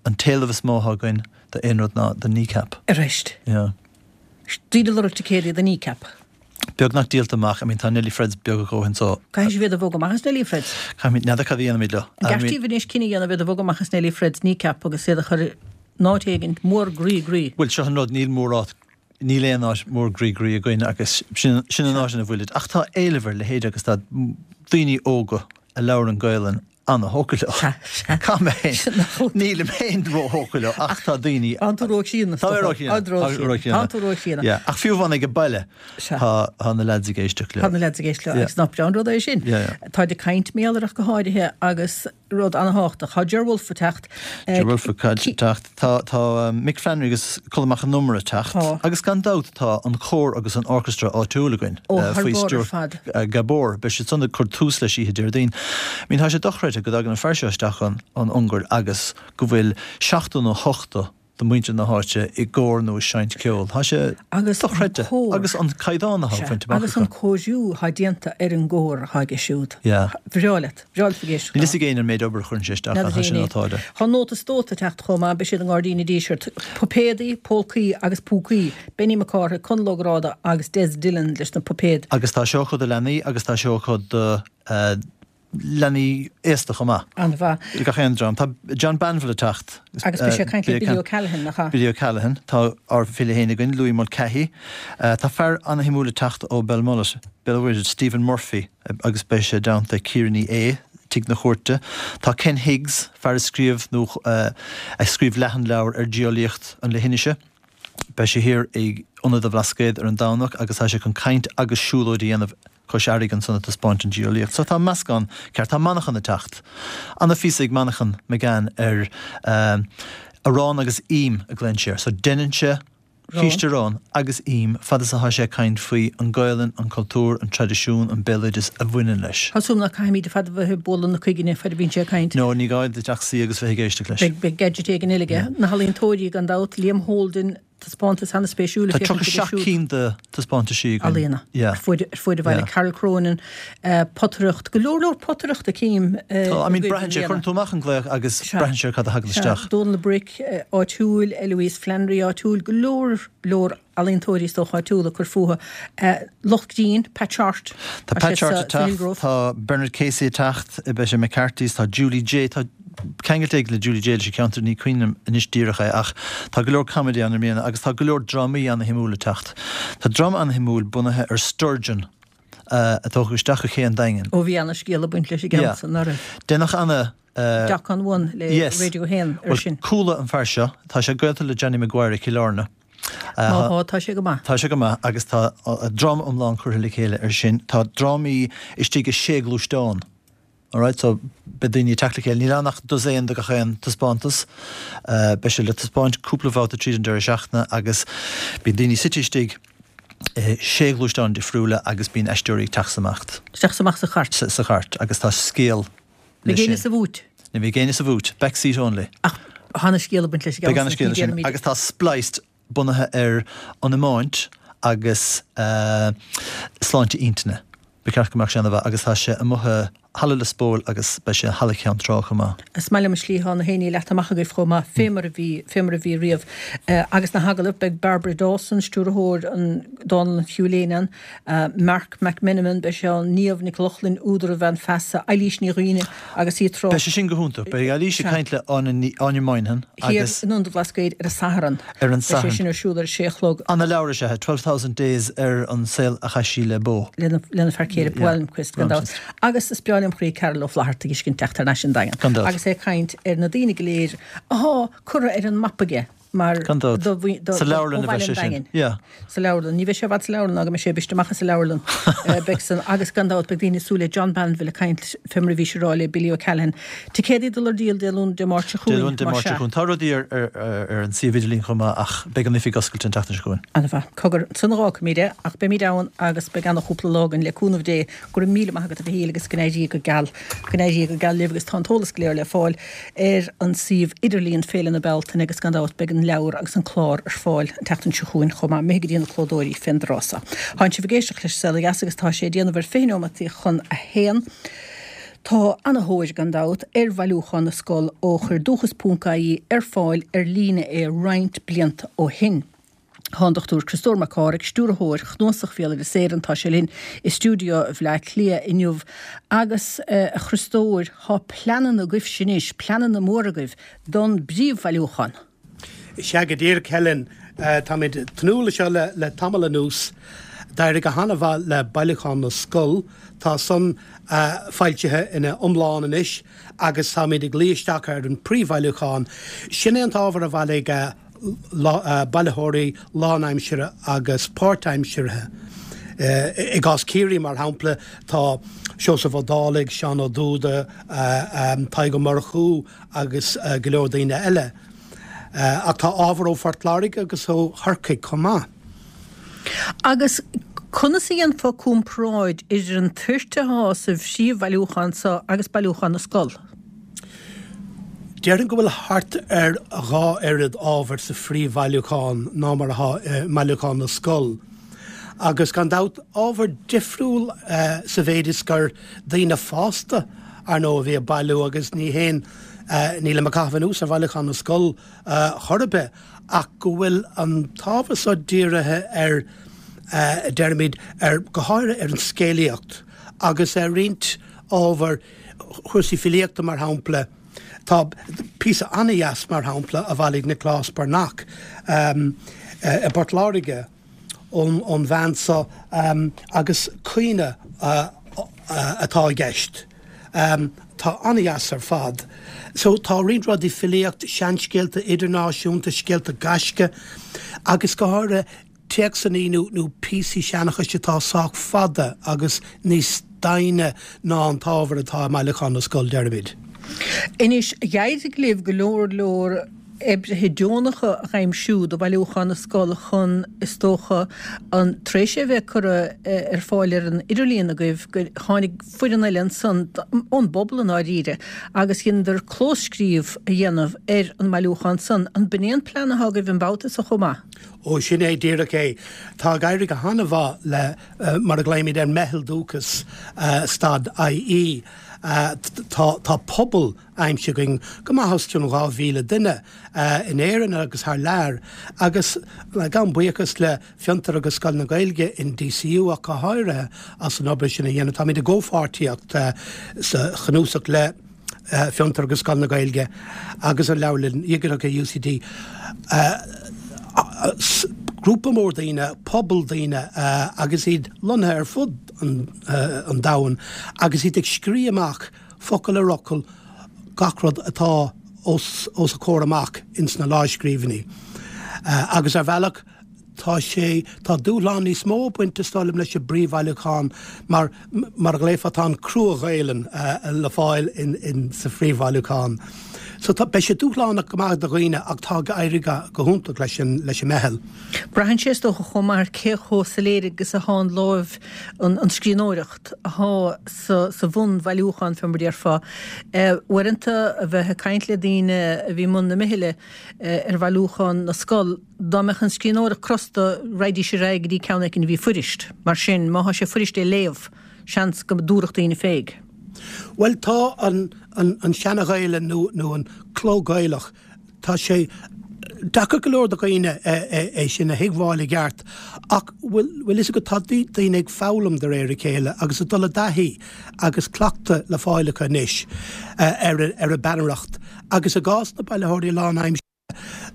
An t-éileamh is mó atá againn do aon rud ná do Kneecap. Arís. Yeah. Daoine ag lorg ticéadaí do Kneecap. Beagnach díolta amach. I mean tá Neilí Fred's beag a dhóthain so. Caithfidh sibh iad a bhogadh amach as Neilí Fred's. Caithfimid, n'fheadar cad a dhéanfaimid leo. An gceart daoibh anois cinneadh a dhéanamh iad a bhogadh amach as Neilí Fred's Kneecap agus iad a chur in áit éigin mór groí groí. Bhuel seo an rud, níl mórán, níl aon áit mór groí groí againn agus sin, sin an áit ina bhfuilid. Ach tá éileamh ar a leithéid agus tá daoine óga a labhrann Gaelainn ana-thógtha leo. Sea, sea. Caithfidh mé féin. Nílim féin ró-thógtha leo ach tá daoine. Tá tú róchríonna. Tá mé róchríonna. Tá róchríonna. Tá tú róchríonna. Yeah. Ach fiú amháin ag an baile tá tá na lads ag éisteacht leo. Tá na lads ag éisteacht leo agus nach breá an rud é sin. Yeah, yeah. Táid ag caint mar gheall air ach go háirithe agus rud ana-thábhachtach. Tá Ger Wolfe ag teacht. Ger Wolfe ag teacht. Tá tá Mick Flannery agus Colm Mac Con Iomaire ag teacht. Tá. Agus gan dabht tá an cór agus an orchestra áitiúil againn Ó, thar faoi barr ar stiúir fad. Gabor. Beidh siad san ag cur tús leis oíche Déardaoin. I mean tá sé dochreidte go dtagann an fear seo isteach ón Ungáir agus go bhfuil 70 nó 80 de mhuintir na háite i gcór nó ag seinnt ceoil. Tá sé Agus an dochreidte. cór. Agus an caighdeán atá Sea. bainte amach Agus acu. an cóiriú atá déanta ar an gcór atá aige siúd. Yeah. Bhreá leat. Bhreá leat ag éisteacht Níl fhios ag éinne an méid obair a chuireann sé isteach ann, tá sin nótáilte. Tá Nóta is Dóta ag teacht chomh maith, beidh siad i nGairdín an Dísirt. Puipéadaí, Pólcaí agus Púcaí, Benny Mac Cárthaigh, Conall Ó Gráda agus Des Dillon leis na puipéid. Agus tá seó acu do leanaí agus tá seó acu do. Leanaí aosta chomh maith. An-mhaith. Gach aon dream. Tá John Banville ag teacht. Agus beidh sé ag caint le Billy O'Callaghan, nach ea? Billy O'Callaghan. Tá ár bhfile féin againn, Louis Mulcahy. Tá fear ana-shuimiúil ag teacht ó Belmullet, Béal an Mhuirthead, Stephen Murphy, agus beidh sé i dteannta Ciara Ní É, Tigh na Cúirte. Tá Ken Higgs, fear a scríobh nó a scríobh leathanleabhar ar geolaíocht an leithinise. Beidh sé thiar ag Ionad an Bhlascaoid ar an Domhnach agus tá sé chun caint agus siúlóid a dhéanamh cois fharraige ansan ag taispeáint an geolaíocht. So tá meascán ceart. Tá Manchán ag teacht. Ana-phíosa ag Manchán Magan ar arán agus im a ghlaonn sé air. So deineann sé císte aráin agus im fad is atá sé ag caint faoi an Gaolainn, an cultúr, an traidisiún, an béaloideas a bhaineann leis. Tá súil agam ná caithfimid ar fad a bheith ag bualadh na coigne fad a bhíonn sé ag caint. No, ní gá duit ach suí agus bheith ag éisteacht leis. Beidh gadget éigin eile aige. Na healaíontóirí gan dabht, Liam Holden, taispeántas an-spéisiúil Tá 37 cinn de taispeántaisí againn. Ealaíona ar fuaid ar fuaid an bhaile. Carol Cronin, potaireacht, go leor leor potaireachta cím. Tá, I mean braitheann sé, cuireann tú amach an glaoch agus braitheann sé ar cad a thagann isteach. Dónal Brick áitiúil, Eloise Flannery áitiúil, go leor leor ealaíontóirí is dócha áitiúla ag cur fúthu. Lucht grinn, Pat Shortt. Tá Pat Shortt ag teacht, tá Bernard Casey ag teacht, beidh sé McCarthy's, tá Julie Jay, tá ceangal éigin le Julie Jay leis an cheantar, ní cuimhin liom anois díreach é ach tá go leor comedy ann i mbliana agus tá go leor drámaí ana-shuimiúil ag teacht. Tá dráma ana-shuimiúil bunaithe ar Sturgeon a tógadh isteach go Cé an Daingin. Ó bhí ana-scéal ag baint leis an gceann san, ná raibh? Deineadh ana. Doc on One le Radio 1 ar sin. Bhuel, chuala an fear seo, tá sé gaolta le Johnny Maguire i Cill Airne. Má thá, tá sé go maith. Tá sé go maith agus tá dráma iomlán curtha le chéile ar sin. Tá drámaí istigh i sé gluaisteán. Alright, so beidh daoine ag teacht le chéile. Níl ann ach dosaen de gach aon taispeántas. Beidh sé le taispeáint cúpla babhta tríd an deireadh seachtaine agus bíonn daoine suite istigh i sé ghluaisteán difriúla agus bíonn aisteoirí ag teacht is imeacht. Isteach is amach sa chairt. Sa chairt agus tá scéal leis sin. Ní bheidh éinne sa bhúit. Ní bheidh éinne sa bhúit. Back seat only. Ach tá ana-scéal ag baint leis an gceann Beidh ana-scéal leis sin. Agus tá Spliced bunaithe ar an iomáint agus sláinte intinne. Ba cheart go mbeadh sé ana-mhaith agus tá sé amuigh i Halla Lios Póil agus beidh sé i Halla Cheann Trá chomh maith. Is maith liom an slí atá na héinní leata amach agaibh chomh maith, fé mar a bhí, fé mar a bhí riamh. Agus na hagallaimh, beidh Barbara Dawson, stiúrthóir an Dánlann Hugh Lane ann, Marc McMenamin, beidh sé ann, Niamh Nic Lochlainn, údar An Bhean Feasa, Eilís Ní Dhuibhne agus í ag trácht. Beidh sé sin go hiontach. Beidh Eilís ag caint le Áine Moynihan agus. Thiar in Ionad an Bhlascaoid ar an Satharn. Ar an Satharn. Beidh sé sin ar siúl ar a sé a chlog. Ana-leabhar is ea é, 12,000 Days ar an saol a chaith sí le Bo. Lena fear céile, Bo Almqvist, gan dabht. Agus is breá liom chroí Carol Ó Flaithearta a fheiscint teacht thar n-ais an Daingean. Gan dabht. Agus é ag caint ar na daoine go léir athá curtha ar an mapa aige. mar Gan dabht. do mhuin- do- Sa leabharlann a bheidh sé sin. Yeah. Sa leabharlann. Ní bheidh sé i bhfad sa leabharlann ná go mbeidh sé briste amach as an leabharlann. Beidh san agus gan dabht beidh daoine ag súil le John Banville ag caint fé mar a bhí sé ag rá le Billy O'Callaghan. Ticéadaí ag dul ar díol Dé Luain Dé Máirt seo Dé chugainn, Luain Dé Máirt seo chugainn. Tá rudaí ar ar ar an suíomh idirlín chomh maith ach beidh an oifig oscailte an tseachtain seo chugainn. An-mhaith. Cogar, ansan a dh'fhágfaimid é ach beimid ann agus beidh ana-chúpla lá againn le cúnamh Dé. Go raibh míle maith agat a Mhichíl agus go n-éirí go geal, go n-éirí go geal libh agus tá an t-eolas go léir le fáil ar an suíomh idirlíon Féile na Bealtaine agus gan dabht beidh an leabhar agus an clár ar fáil an tseachtain seo chugainn chomh maith, imithe go dtí na clódóirí fén dtráth so. Tánn sibh ag éisteacht leis Saol Ó Dheas agus tá sé ag déanamh ar 20 neomataí chun a haon. Tá ana-thóir, gan dabht, ar Bhailiúchán na Scol ó chuir Dúchas Ponc IE ar fáil ar líne é roinnt blianta ó shin. Tá an Dr Criostóir Mac Cárthaigh, Stiúrthóir Chnuasach Bhéaloideas Éireann, tá sé linn i stiúideo Bhleá Cliath inniu. Agus, a Chriostóir, tá pleananna agaibhse anois, pleananna móra agaibh don bpríomhbhailiúchán. Sea go díreach, Helen. Táimid ag tnúth leis seo le tamall anuas. D'éirigh go han-mhaith le Bailiúchán na Scol. Tá san foilsithe ina iomlán anois agus táimid ag luí isteach ar an bpríomhbhailiúchán. Sin é an t-ábhar a bhailigh bailitheoirí lánaimseartha agus páirtaimseartha. I gcás Ciarraí, mar shampla, tá Seosamh Ó Dálaigh, Seán Ó Dúda, Tadhg Ó Murchú agus go leor daoine eile. Ach tá ábhar ó Phort Láirge agus ó Chorcaigh chomh maith. Agus conas a dhéanfá comparáid idir an toirt atá sa phríomhbhailiúchán seo agus Bailiúchán na Scol? Déarfainn go bhfuil thart ar dha oiread ábhair sa phríomhbhailiúchán ná mar atá i mBailiúchán na Scol. Agus gan dabht, ábhar difriúil sa mhéid is gur daoine fásta, ar ndóigh, a bhí ag bailiú agus ní haon, nílim ag caitheamh anuas ar Bhailiúchán na Scol chor ar bith, ach go bhfuil an t-ábhar so dírithe ar, deirimid, ar, go háirithe ar an scéalaíocht agus ar roinnt. ábhair, chúrsaí filíochta mar shampla. Tá píosa an-dheas mar shampla a bhailigh Nioclás Breathnach i bPort Láirge ón bhean so agus caoineadh atá i gceist. Tá an-dheas ar fad. So tá roinnt rudaí, filíocht, seanscéalta idirnáisiúnta, scéalta gaisce agus go háirithe téacsanna nó nó píosaí seanchais atá sách fada agus níos doimhne ná an t-ábhar atá i mBailiúchán na Scol, deirimid. Anois, d'éirigh libh go leor leor oibrithe deonacha a aimsiú do Bhailiúchán na Scol chun, is dócha, an, tar éis é a bheith curtha ar fáil ar an idirlíon agaibh, gur tháinig foireann eile ansan, ón bpobal i ndáiríre, agus dheineadar clóscríobh a dhéanamh ar an mbailiúchán san. An b'in é an plean atá agaibh an babhta so chomh maith? Ó, sin é díreach é. Tá ag éirí go han-mhaith le, mar a ghlaoimid air, Meitheal Dúchas stad IE. Tá, tá pobal aimsithe againn, go maith os cionn 2,000 duine, in Éirinn agus thar lear, agus gabhaim buíochas le Fiontar agus Scoil na Gaeilge in DCU ach go háirithe as an obair sin a dhéanamh. Táimid i gcomhpháirtíocht sa chnuasach le. Fiontar agus Scoil na Gaeilge agus an Leabharlann Dhigiteach i UCD. Grúpa mór daoine, pobal daoine agus iad lonnaithe ar fud an domhain agus iad ag scríobh amach focal ar fhocal gach rud atá os a comhair amach ins na lámhscríbhinní. Agus ar bhealach, Tá sé, tá dúshlán níos mó ag baint is dóigh liom leis an bpríomhbhailiúchán mar, mar a ghlaofá, tá an crua-Ghaelainn le fáil in, in, sa phríomhbhailiúchán. So tá, beidh sé dúshlánach go maith do dhaoine ach tá ag éirí go, go hiontach leis an, leis an meitheal. Braitheann sé is dócha chomh maith ar cé chomh soiléir agus atá an láimh, an, an scríbhneoireacht atá sa, sa bhunbhailiúchán fé mar a déarfá. Uaireanta a bheith ag caint le daoine a bhí i mbun na meithle ar bhailiúchán na scol, Dá mbeadh an scríbhneoireacht crosta, raghaidís ar aghaidh go dtí ceann éicint a bhí fuirist. Mar sin, má thá sé fuirist é léamh, seans go dtabharfadh daoine féig. Bhuel, tá an, an, an Seana-Ghaelainn nó, nó an cló Gaelach, tá sé deacair go leor do dhaoine é sin a thuigbheáil i gceart ach bhfuil, bhfuil fhios agat, tá daoine ag foghlaim de réir a chéile agus ag dul i dtaithí agus cleachtadh le fáil acu anois ar, ar an bpeannaireacht agus i gcás na bailitheoirí lánaimseartha,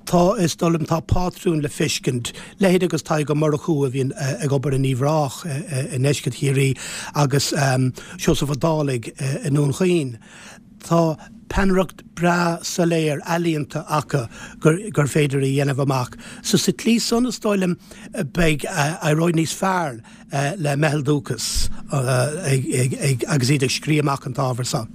Tá, is dóigh liom, tá pátrún le feiscint, leithéid agus Tadhg Ó Murchú a bhíonn ag obair in Uíbh Ráthach i ndeisceart Chiarraí agus Seosamh Ó Dálaigh i nDún Chaoin. Tá peannaireacht breá soiléir ealaíonta acu gur féidir a dhéanamh amach. So sa tslí san, is dóigh liom, beidh, éireoidh níos fearr le Meitheal Dúchas agus iad ag scríobh amach an t-ábhar so.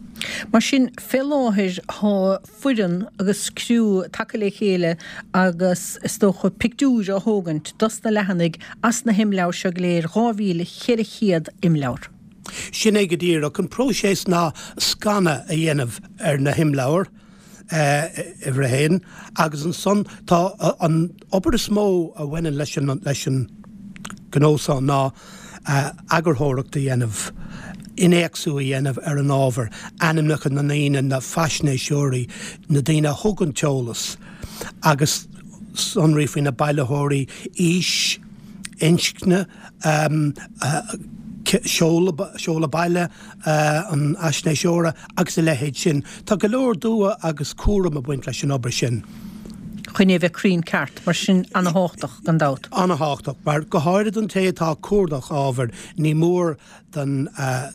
Mar sin, fé láthair tá foireann agus criú tagtha le chéile agus is dócha pictiúir á thógaint dos na leathanaigh as na himleabhair seo go léir, 2,400 imleabhar. Sin é go díreach. An próiseas ná scanadh a dhéanamh ar na himleabhair, uimhir a haon, agus ansan tá an obair is mó a bhaineann leis an leis an gnó so ná eagarthóireacht a dhéanamh, innéacsú a dhéanamh ar an ábhar, ainmneacha na ndaoine, na faisnéiseoirí, na daoine a thug an t-eolas agus sonraí faoi na bailitheoirí, aois, inscne, seoladh baile an fhaisnéiseora agus a leithéid sin. Tá go leor dua agus cúram ag baint leis an obair sin. Chun é a bheith cruinn ceart, mar sin ana-thábhachtach, gan dabht. Ana-thábhachtach, mar go háirid don té atá ag cuardach ábhair, ní mór don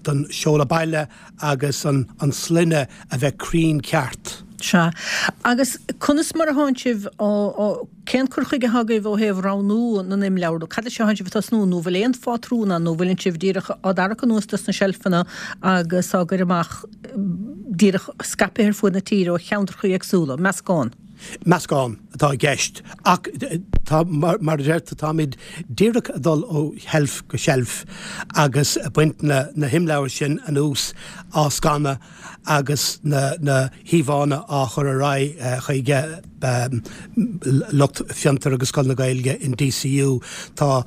don seoladh baile agus an an sloinne a bheith cruinn ceart. Sea. Agus conas mar a thánn sibh á á cén cur chuige atá agaibh ó thaobh roghnú na n-imleabhar? Cad leis a thánn sibh ag tosnú? Nó bhfuil aon phátrún ann nó bhfuileann sibh díreach á dtarrac anuas dos na seilfeanna agus á gcur amach díreach scaipthe ar fuaid na tíre ó cheantracha éagsúla? Meascán. Meascán atá i gceist ach tá, mar a deir tú, táimid díreach ag dul ó sheilf go seilf agus ag baint na na himleabhair sin anuas, á scanadh agus na na híomhánna á chur ar aghaidh chuig lucht Fiontar agus Scoil na Gaeilge in DCU. Tá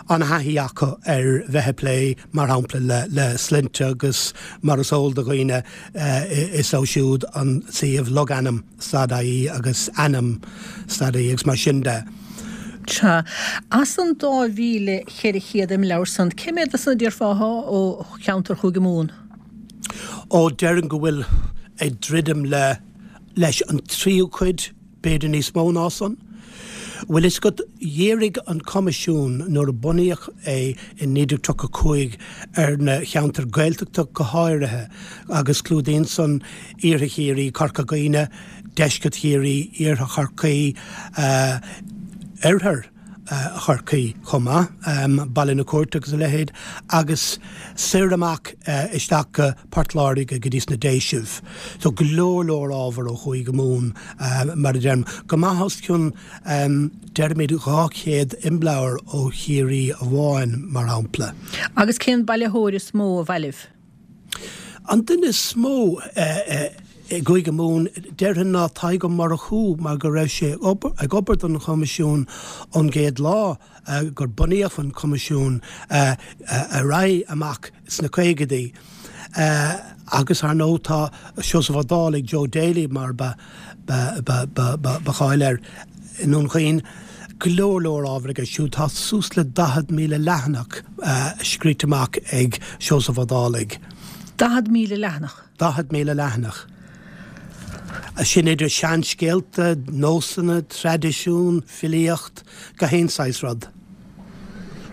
an-thaithí acu ar bheith ag plé, mar shampla, le le sloinnte agus mar is eol do dhaoine is leo siúd an suíomh logainm. stad IE agus ainm stad IE agus mar sin de. Sea. As an 2,400 imleabhar san, cé mhéad de san a déarfá athá ó cheantar Chúige Mumhan? Ó, déarfainn go bhfuil ag druidim le leis an tríú cuid, b'fhéidir níos mó ná san. Bhfuil fhios agat, dhírigh an Coimisiún nuair a bunaíodh é i 1935 ar na cheantair Gaeltachta go háirithe agus clúdaíonn san Iarthar Chiarraí, Corca Dhuibhne, Deisceart Chiarraí, Iarthar Chorcaí, Oirthear Chorcaí chomh maith, Baile na Cúirte agus a leithéid, agus soir amach isteach go Port Láirge go dtí sna Déisibh. So go leor leor ábhar ó Chúige Mumhan, mar a deirim. Go maith os cionn, deirimid 200 imleabhar ó Chiarraí amháin, mar shampla. Agus cén bailitheoir is mó a bhailigh? An duine is mó i gCúige Mumhan, déarfainn ná Tadhg Ó Murchú mar go raibh sé ag obair don Choimisiún ón gcéad lá gur bunaíodh an Coimisiún ar aghaidh amach sna caogaidí. Agus ar ndóigh tá Seosamh Ó Dálaigh, Joe Daly mar ba ba cháil air i nDún Chaoin. Go leor leor ábhar aige siúd. Tá suas le 40,000 leathanach scríte amach ag Seosamh Ó Dálaigh. 40,000 leathanach? 40,000 leathanach. Sin idir seanscéalta, nósanna, traidisiún, filíocht, gach aon saghas rud.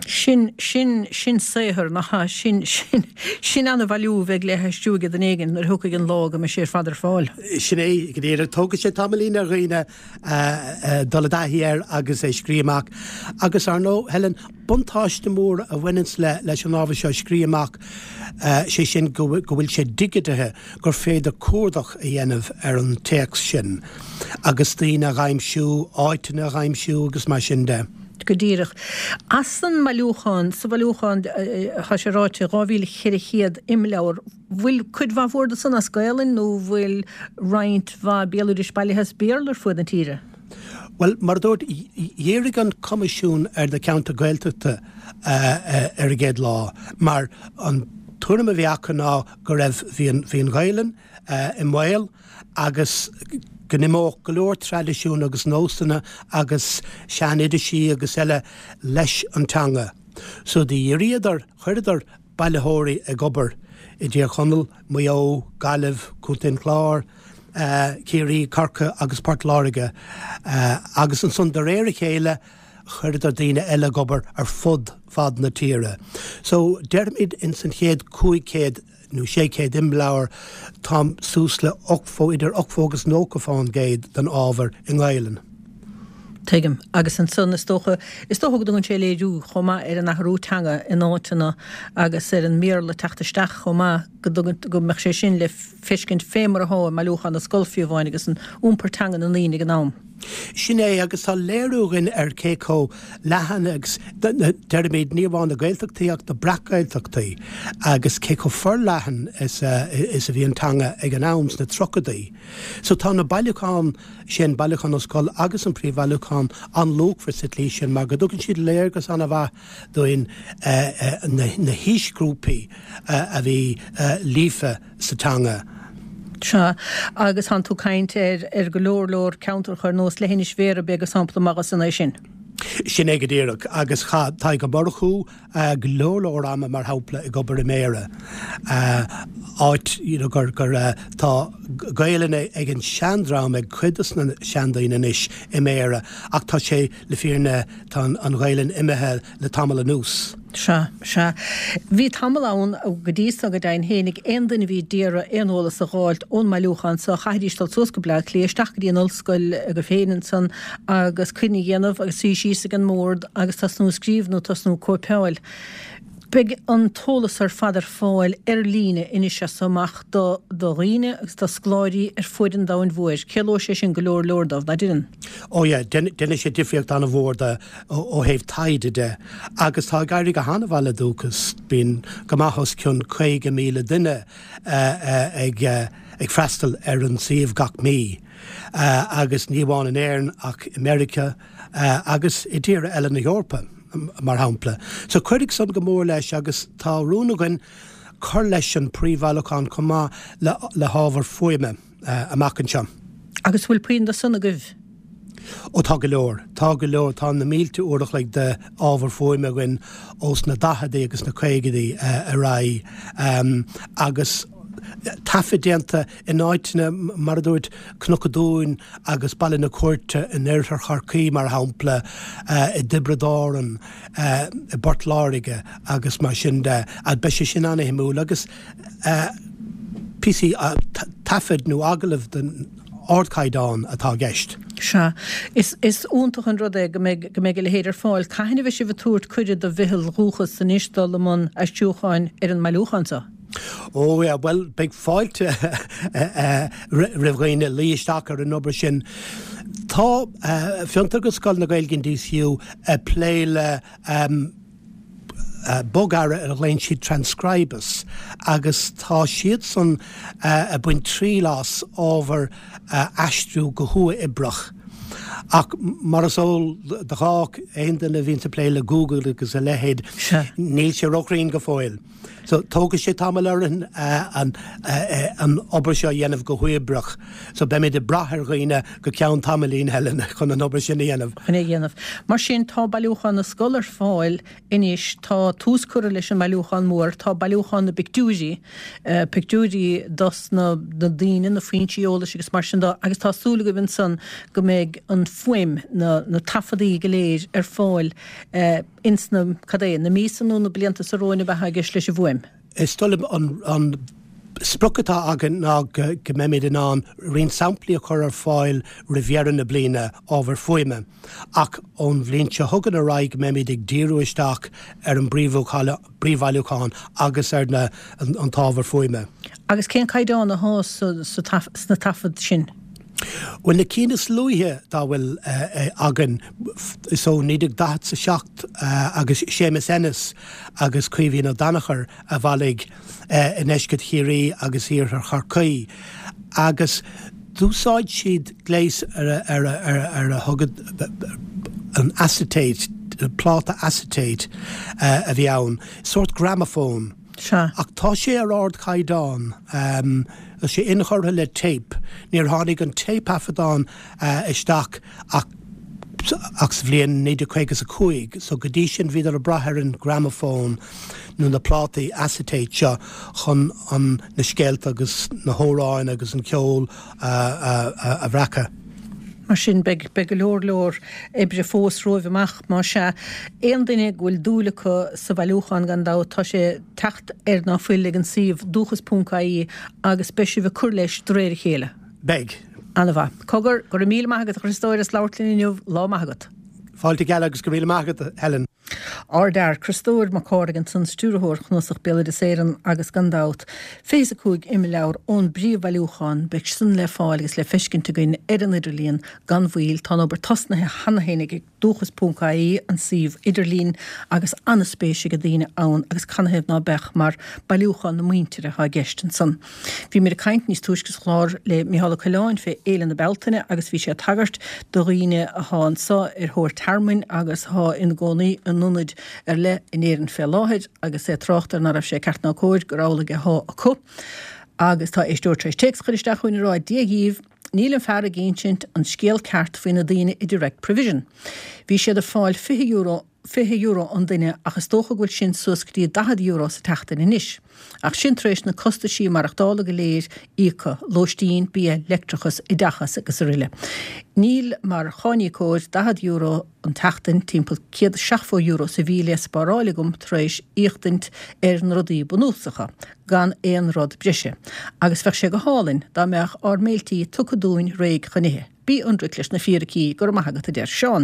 Sin, sin, sin saothar, nach ea? Sin, sin, sin an-bhailiú a bheidh le haistriú ag duine éigin nuair a thiocfaidh an lá go mbeidh sé ar fad ar fáil. Sin é, go díreach. Tógfaidh sé tamaillín ar dhaoine dul i dtaithí air agus é scríobh amach. Agus ar ndóigh, Helen, buntáiste mór a bhaineanns le, leis an ábhar seo a scríobh amach, sé sin go, go bhfuil sé digitithe, gur féidir cuardach a dhéanamh ar an téacs sin agus daoine a dh'aimsiú, áiteanna a dh'aimsiú agus mar sin de. Go díreach. As an mbailiúchán, sa bhailiúchán, tá sé ráite, 2,400 imleabhar, bhfuil cuid mhaith mhór de san as Gaelainn nó bhfuil roinnt mhaith béaloidis bailithe as Béarla ar fuaid na tíre? Bhuel, mar a dúirt, dhírigh an Coimisiún ar na ceantair Ghaeltachta ar an gcéad lá mar an tuairim a bhí acu ná go raibh, bhí an, bhí an Ghaelainn i mbaol, agus go n-imeodh go leor traidisiún agus nósanna agus sean-oidisí agus eile leis an teanga. So do dhíríodar, chuireadar bailitheoirí ag obair i dTír Chonaill, Maigh Eo, Gaillimh, Contae an Chláir, Ciarraí, Corcaigh agus Port Láirge agus ansan de réir a chéile chuireadar daoine eile ag obair ar fud fad na tíre. So déarfaimid ins an chéad 500 nó 600 imleabhar, tá suas le 80, idir 80 agus 90 fán gcéad den ábhar i nGaelainn. Tuigim. Agus ansan, is dócha, is dócha go dtugann sé léiriú chomh maith ar an athrú teanga in áiteanna agus ar an mBéarla teacht isteach chomh maith, go dtugann, go mbeadh sé sin le feiscint fé mar atá i mBailiúchán na Scol fiú amháin agus an iompar teanga na ndaoine ag an am. Sin é, agus tá léiriú againn ar cé chomh leathan agus, deirimid, ní amháin na Gaeltachtaí ach na Breac-Ghaeltachtaí, agus cé chomh forleathan is a bhí an teanga ag an am sna tríochaidí. So tá na bailiúcháin sin, Bailiúchán na Scol agus an Príomhbhailiúchán, an-luachmhar sa tslí sin mar go dtugann siad léargas an-mhaith dúinn na haoisghrúpaí a bhí líofa sa teanga. Sea, agus tánn tú ag caint ar ar go leor leor ceantracha ar nós Leithinis Bhéarra, b'é gur sampla maith de san é sin. Sin é go díreach, agus chaith Tadhg Ó Murchú go leor leor ama, mar shampla, ag obair i mBéarra, áit you know gur gur tá Gaelainn ag an seandream, ag cuid de na seandaoine anois i mBéarra, ach tá sé le fírinne, tá an Ghaelainn imithe le tamall anuas. Sea, sea. Bhí tamall ann, go dtí so, go deimhin fhéinig, aon duine a bhí d'iarraidh aon eolas a dh'fháilt ón mbailiúchán so, chaithfidís dul suas go Bleá Cliath, isteach go dtí an ollscoil go féin ansan agus coinne a dhéanamh agus suí síos ag an mbord agus tosnú ag scríobh nó tosnú ag cóipeáil. Beidh an t-eolas ar fad ar fáil ar líne anois as so amach do dhaoine agus do scoláirí ar fuaid an domhain mhóir. Ciallóidh sé sin go leor leor dóibh, ná deireann? Ó yeah, déanfaidh sé difríocht an-mhór do ó thaobh taighde de. Agus tá ag éirí go han-mhaith le Dúchas, bíonn go maith os cionn 50,000 duine ag freastal ar an suíomh gach mí. Agus ní amháin in Éirinn ach i Meiriceá agus i dtíortha eile na hEorpa. mar shampla. So cuirfidh san go mór leis agus tá rún againn cur leis an príomhbhailiúchán chomh maith le le hábhar fuaime amach anseo. Agus bhfuil puinn de san agaibh? Ó tá go leor. Tá go leor. Tá na mílte uair a chloig de ábhar fuaime againn ós na daicheadaí agus na caogaidí ar aghaidh agus. taifead déanta in áiteanna, mar a dúirt, Cnoc an Dúin agus Baile na Cúirte in oirthear Chorcaí, mar shampla, i dTiobraid Árann, i bPort Láirge agus mar sin de. Beidh sé sin an-shuimiúil agus píosaí taifid nó agallaimh den ardchaighdeán atá i gceist. Sea. Is iontach an rud é go mbeidh go mbeidh a leithéid ar fáil. Cathain a bheidh sibh ag tabhairt cuireadh do Mheitheal Dhúchas anois dul i mbun aistriúcháin ar an mbailiúchán seo? Ó yeah, bhuel, beidh fáilte roimh dhaoine luí isteach ar an obair sin. Tá Fiontar agus Scoil na Gaeilge in DCU ag plé le bogearra ar a ghlaonn siad Transkribus agus tá siadsan ag baint triail as ábhar a aistriú go huathoibreach. Ach mar is eol do chách, aon duine a bhíonns ag plé le Google agus a leithéid, níl sé róchruinn go fóill. So, tógfaidh sé tamall orainn an obair seo a dhéanamh go huathoibreach. So, beimid ag brath ar dhaoine go ceann tamaillín, Helen, chun an obair sin a dhéanamh. Chun é a dhéanamh. Mar sin, tá Bailiúchán na Scol ar fáil anois, tá tús curtha leis an mbailiúchán mór, tá bailiúchán na bpictiúirí, pictiúirí dos na daoine, na foinsí eolais agus mar sin de, agus tá súil agaibh ansan go mbeidh an fuaim, na taifeadaí go léir ar fáil ins na, cad é, na míosa nó na blianta seo romhainn ab ea atá i gceist leis an bhfuaim? Is dóigh liom an sprioc atá againn ná go mbeimid in ann roinnt samplaí a chur ar fáil roimh dheireadh na bliana, ábhar fuaime, ach ón bhliain seo chugainn ar aghaidh go mbeimid ag díriú isteach ar an bpríomhbhailiúchán agus ar na an t-ábhar fuaime. Agus cén caighdeán atá sna taifid sin? Bhuel, na cinn is luaithe dá bhfuil againn, is ó 1947 agus Séamus Ennis agus Caoimhín Ó Danachair a bhailigh i ndeisceart Chiarraí agus iarthar Chorcaí agus d'úsáid siad gléas ar a thug an acetate, pláta acetate a bhí ann, sórt gramafón. Sea. Ach tá sé ar ardchaighdeán. Tá sé inchurtha le téip. Níor tháinig an téipthaifeadán isteach ach ach sa bhliain 1955, so go dtí sin bhíodar ag brath ar an gramafón nó na plátaí acetate seo chun an na scéalta agus na hamhráin agus an ceol a bhreacadh. Mar sin, beidh go leor leor oibre fós romhaibh amach, más ea. Aon duine go bhfuil dúil acu sa bhailiúchán, gan dabht, tá sé ag teacht ar ná fuil ag an suíomh dúchas.ie agus beidh sibh ag cur leis de réir a chéile. Beidh. Ana-mhaith. Cogar, go raibh míle maith agat a Chriostóir as labhairt linn inniu. Lá maith agat. Fáilte gheal agus go raibh míle maith agat, Helen. Ár bhfear, Criostóir Mac Cárthaigh ansan, Stiúrthóir Chnuasach Béaloideas Éireann agus gan dabht, 25 imleabhar ón bpríomhbhailiúchán, beidh san le fáil agus le feiscint againn ar an idirlíon gan mhoill. Tá an obair tosnaithe cheana féin ag Dúchas.ie, an suíomh idirlín, agus an-spéis ag daoine ann agus canathaobh ná beadh mar bailiúchán na muintire atá i gceist ansan. Bhíomar ag caint níos túisce sa chlár le Mícheál Ó Coileáin fé Fhéile na Bealtaine agus bhí sé ag tagairt do dhaoine athá anso ar thóir tearmainn agus athá ina gcónaí in ionaid ar leith in Éirinn fé láthair agus é ag trácht ar ná raibh sé ceart ná cóir gur amhlaidh athá acu. Agus tá éisteoir tar éis téacs a chur isteach chugainn ag rá Dia dhíbh, níl an fear ag insint an scéal ceart faoi na daoine i Direct Provision. Bhí siad ag fáil €20 €20 an duine ach is dócha go bhfuil sin suas go dtí €40 sa tseachtain anois. Ach sin tar éis na costaisí maireachtála go léir íoctha, lóistín, bia, leictreachas, oideachas agus aroile. Níl mar cháiníocóir €40 an tseachtain, timpeall €170 sa mhí le spáráil agam tar éis íochtaint ar na rudaí bunúsacha, gan aon rud breise. Agus bheadh sé go hálainn dá mbeadh ár mbéiltí tugtha dúinn réidh chun ithe. Bí ionraic leis na fíricí, go raibh maith agat, a deir Seán.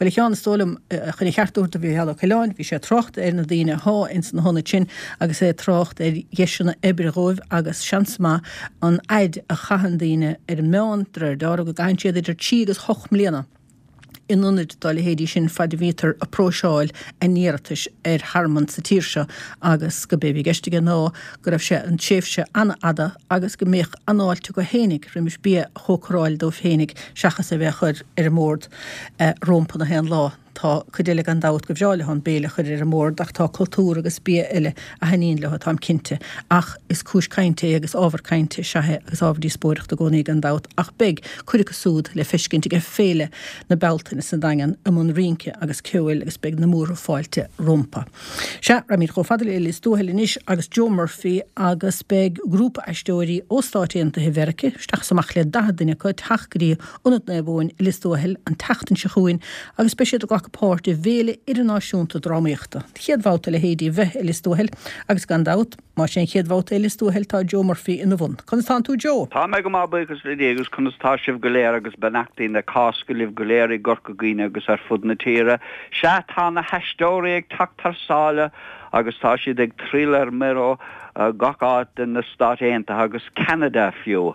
Bhuel, a Sheáin, is dóigh liom, chun a cheart a thabhairt do Mhícheál Ó Coileáin, bhí sé ag trácht ar na daoine athá ins na hionaid sin agus é ag trácht ar dheiseanna oibre dhóibh agus seans maith an fhaid a chaitheann daoine ar an meán, de réir dealraimh, go gcaitheann siad idir trí agus hocht mbliana. in ionaid dá leithéidí sin faid a bhítear ag próiseáil a n-iarratais ar thearmann sa tír seo agus go b'é a bhí i gceist aige ná go raibh sé an tréimhse an-fhada agus go mbeadh an-fháilte acu fhéinig roimis bia a chócaráil dóibh fhéinig seachas é bheith á chur ar an mbord rompu na haon lá. Tá cuid eile gan dabht go bhreá leo an béile a chur ar an mbord ach tá cultúr agus bia eile a thaitníonn leo, táim cinnte. Ach is cúis cainte é agus ábhar cainte is ea é agus ábhar díospóireachta i gcónaí gan dabht ach beidh cuid acu súd le feiscint ag Féile na Bealtaine sa Daingean i mbun rince agus ceoil agus beidh na múrtha fáilte rompu. Sea, raghaimid chomh fada le Lios Tuathail anois agus Joe Murphy agus beidh grúpa aisteoirí ó Stáit Aontaithe Mheirice, isteach is amach le 40 duine acu, ag teacht go dtí Ionad Naomh Eoin i Lios Tuathail an tseachtain seo chugainn agus beidh siad ag glacadh páirt i bhFéile Idirnáisiúnta Drámaíochta. An chéad bhabhta a leithéidí a bheith i Lios Tuathail agus gan dabht, más é an chéad bhabhta é i Lios Tuathail tá Joe Murphy ina bhun. Conas tánn tú Joe? Tá mé go maith buíochas le Dia agus conas tá sibh go léir agus beannachtaí na Cásca libh go léir i gCorca Dhuibhne agus ar fud na tíre. Sea, tá na haisteoirí ag teacht thar sáile agus tá siad ag triall ar mire ó gach áit de na Stáit Aontaithe agus Ceanada fiú.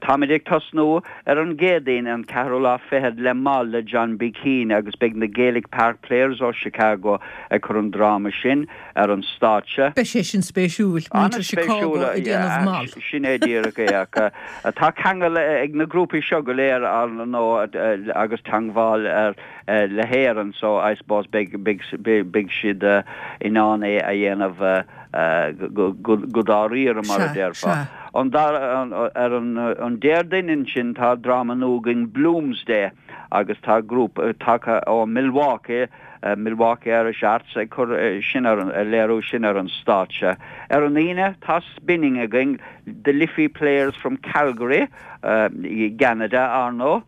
Táimid ag tosnú ar an gCéadaoin, an ceathrú lá fichead, le Moll le John B. Keane agus beidh na Gaelic Park Players ó Chicago ag cur an dráma sin ar an stáitse. Beidh sé sin spéisiúil, muintir Chicago ag déanamh Moll. Sin é díreach é ach tá ceangal ag na grúpaí seo go léir ar ndóigh agus teangmháil le hÉirinn so I suppose beidh siad in ann é a dhéanamh go dáiríre mar a déarfá. Ar an Déardaoin ansin tá dráma nua againn Bloomsday agus tá grúpa tagtha ó Milwaukee, Milwaukee Irish Arts ag cur sin ar an, ag léiriú sin ar an stáitse. Ar an Aoine tá Spinning againn, The Liffey Players from Calgary i gCeanada, ar ndóigh.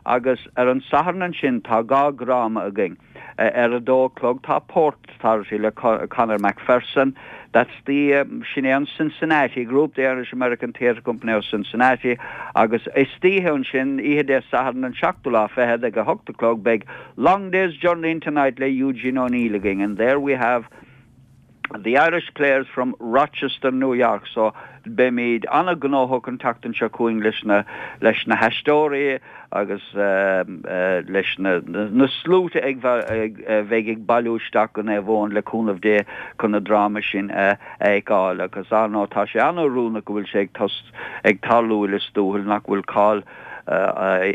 Agus ar an Satharn ansin tá dhá dhráma againn. Ar a dó a chlog tá Port Authority le Conor McPherson, that's the, sin é an Cincinnati Group, the Irish American Theatre Company of Cincinnati, agus istoíche ansin, oíche Dé Sathairn an seachtú lá fichead ag a hocht a chlog beidh Long Day's Journey Into Night le Eugene O'Neill againn and there we have The Irish Players from Rochester, New York so beimid an-ghnóthach an tseachtain seo chugainn leis na leis na haisteoirí agus leis na na sluaite ag a bheidh ag bailiú isteach go Naomh Eoin le cúnamh Dé chun na drámaí sin a fheiceáil agus ar ndóigh tá sé an-oiriúnach go bhfuil sé ag tos ag tarlú i Lios Tuathail nach bhfuil cáil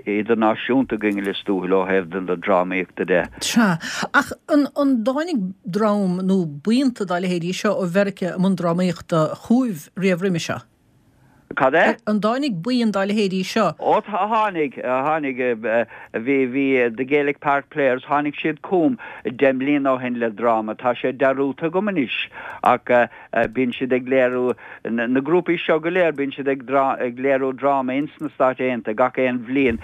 idirnáisiúnta againn i Lios Tuathail ó thaobh na drámaíochta de. Sea. Ach an dtáinig dream nó buíonta dá leithéidí seo ó Mheiriceá i mbun drámaíochta chugaibh riamh roimhe seo? Cad é? An dtáinig buíon dá leithéidí seo? Ó tháinig, tháinig. Bhí, bhí The Gaelic Park Players, tháinig siad chugam deich mbliana ó shin le dráma. Tá sé dearúdta agam anois ach Bíonn siad ag léiriú, na grúpaí seo go léir, bíonn siad ag ag léiriú dráma ins na Stáit Aontaithe gach aon bhliain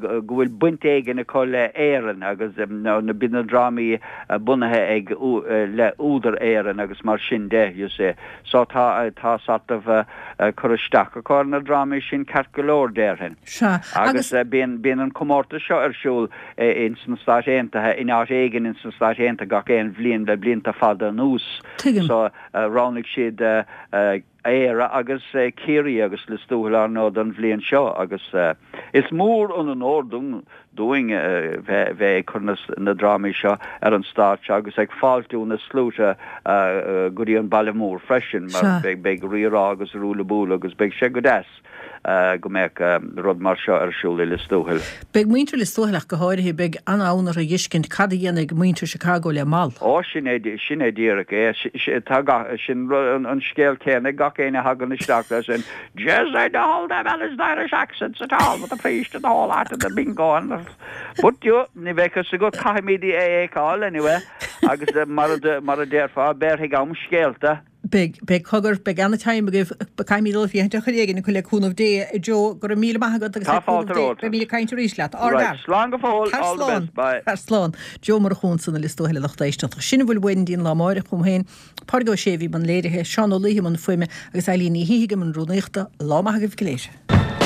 go bhfuil baint éigin acu le Éirinn agus bíonn na drámaí bunaithe ag le údar Éireann agus mar sin de, you see. So tá tá sort of cur isteach acu ar na drámaí sin ceart go leor déarfainn. Sea. Agus bíonn bíonn an comórtas seo ar siúl ins na Stáit Aontaithe, in áit éigin ins na Stáit Aontaithe gach aon bhliain le blianta fada anuas. Tuigim. So, roghnaigh siad Éire agus Ciarraí agus Lios Tuathail ar ndóigh don bhliain seo agus is mór an onóir dúinn bheith ag cur na drámaí seo ar an stáitse agus ag fáiltiú na sluaite go dtí an baile mór freisin mar beidh rírá agus ruaille buaille agus beidh sé go deas. go mbeadh rud mar seo ar siúl i Lios Tuathail. Beidh muintir Lios Tuathail ach go háirithe, beidh an-fhonn orthu a dh'fheiscint cad a dhéanfaidh muintir Chicago le Moll. Ó, sin é, sin é díreach é. Tá gach, sin an scéal céanna ag gach éinne a thagann isteach leis sin, Jeez, I don't hold them Irish Irish accents at all with the priest and the whole lot and the bingo and the But you, ní bheadh fhios agat, caithfimid é a fheiceáil anyway agus mar a, mar a déarfá, béarfaidh am scéalta. Beidh, beidh, cogar, beidh ana-time agaibh, caithfimid dul ag féachaint ar chor éigin acu le cúnamh Dé, a Joe, go raibh míle maith agat agus Tá le cúnamh fáilte Dé, romhat. beimid ag caint arís leat. Ár Right, bhfear. slán go fóill, Tar all the slán, best, bye. tar slán. Joe Murchú ansan i Lios Tuathail a lucht éisteachta. Sin a bhfuil uainn go dtí an lá amáireach uaim féin, Pádraig Ó Sé a bhí i mbun léirithe, Seán Ó Laoithe i mbun fuaime agus Eilín Ní Shíthigh i mbun rúnaíochta. Lá maith agaibh go léir.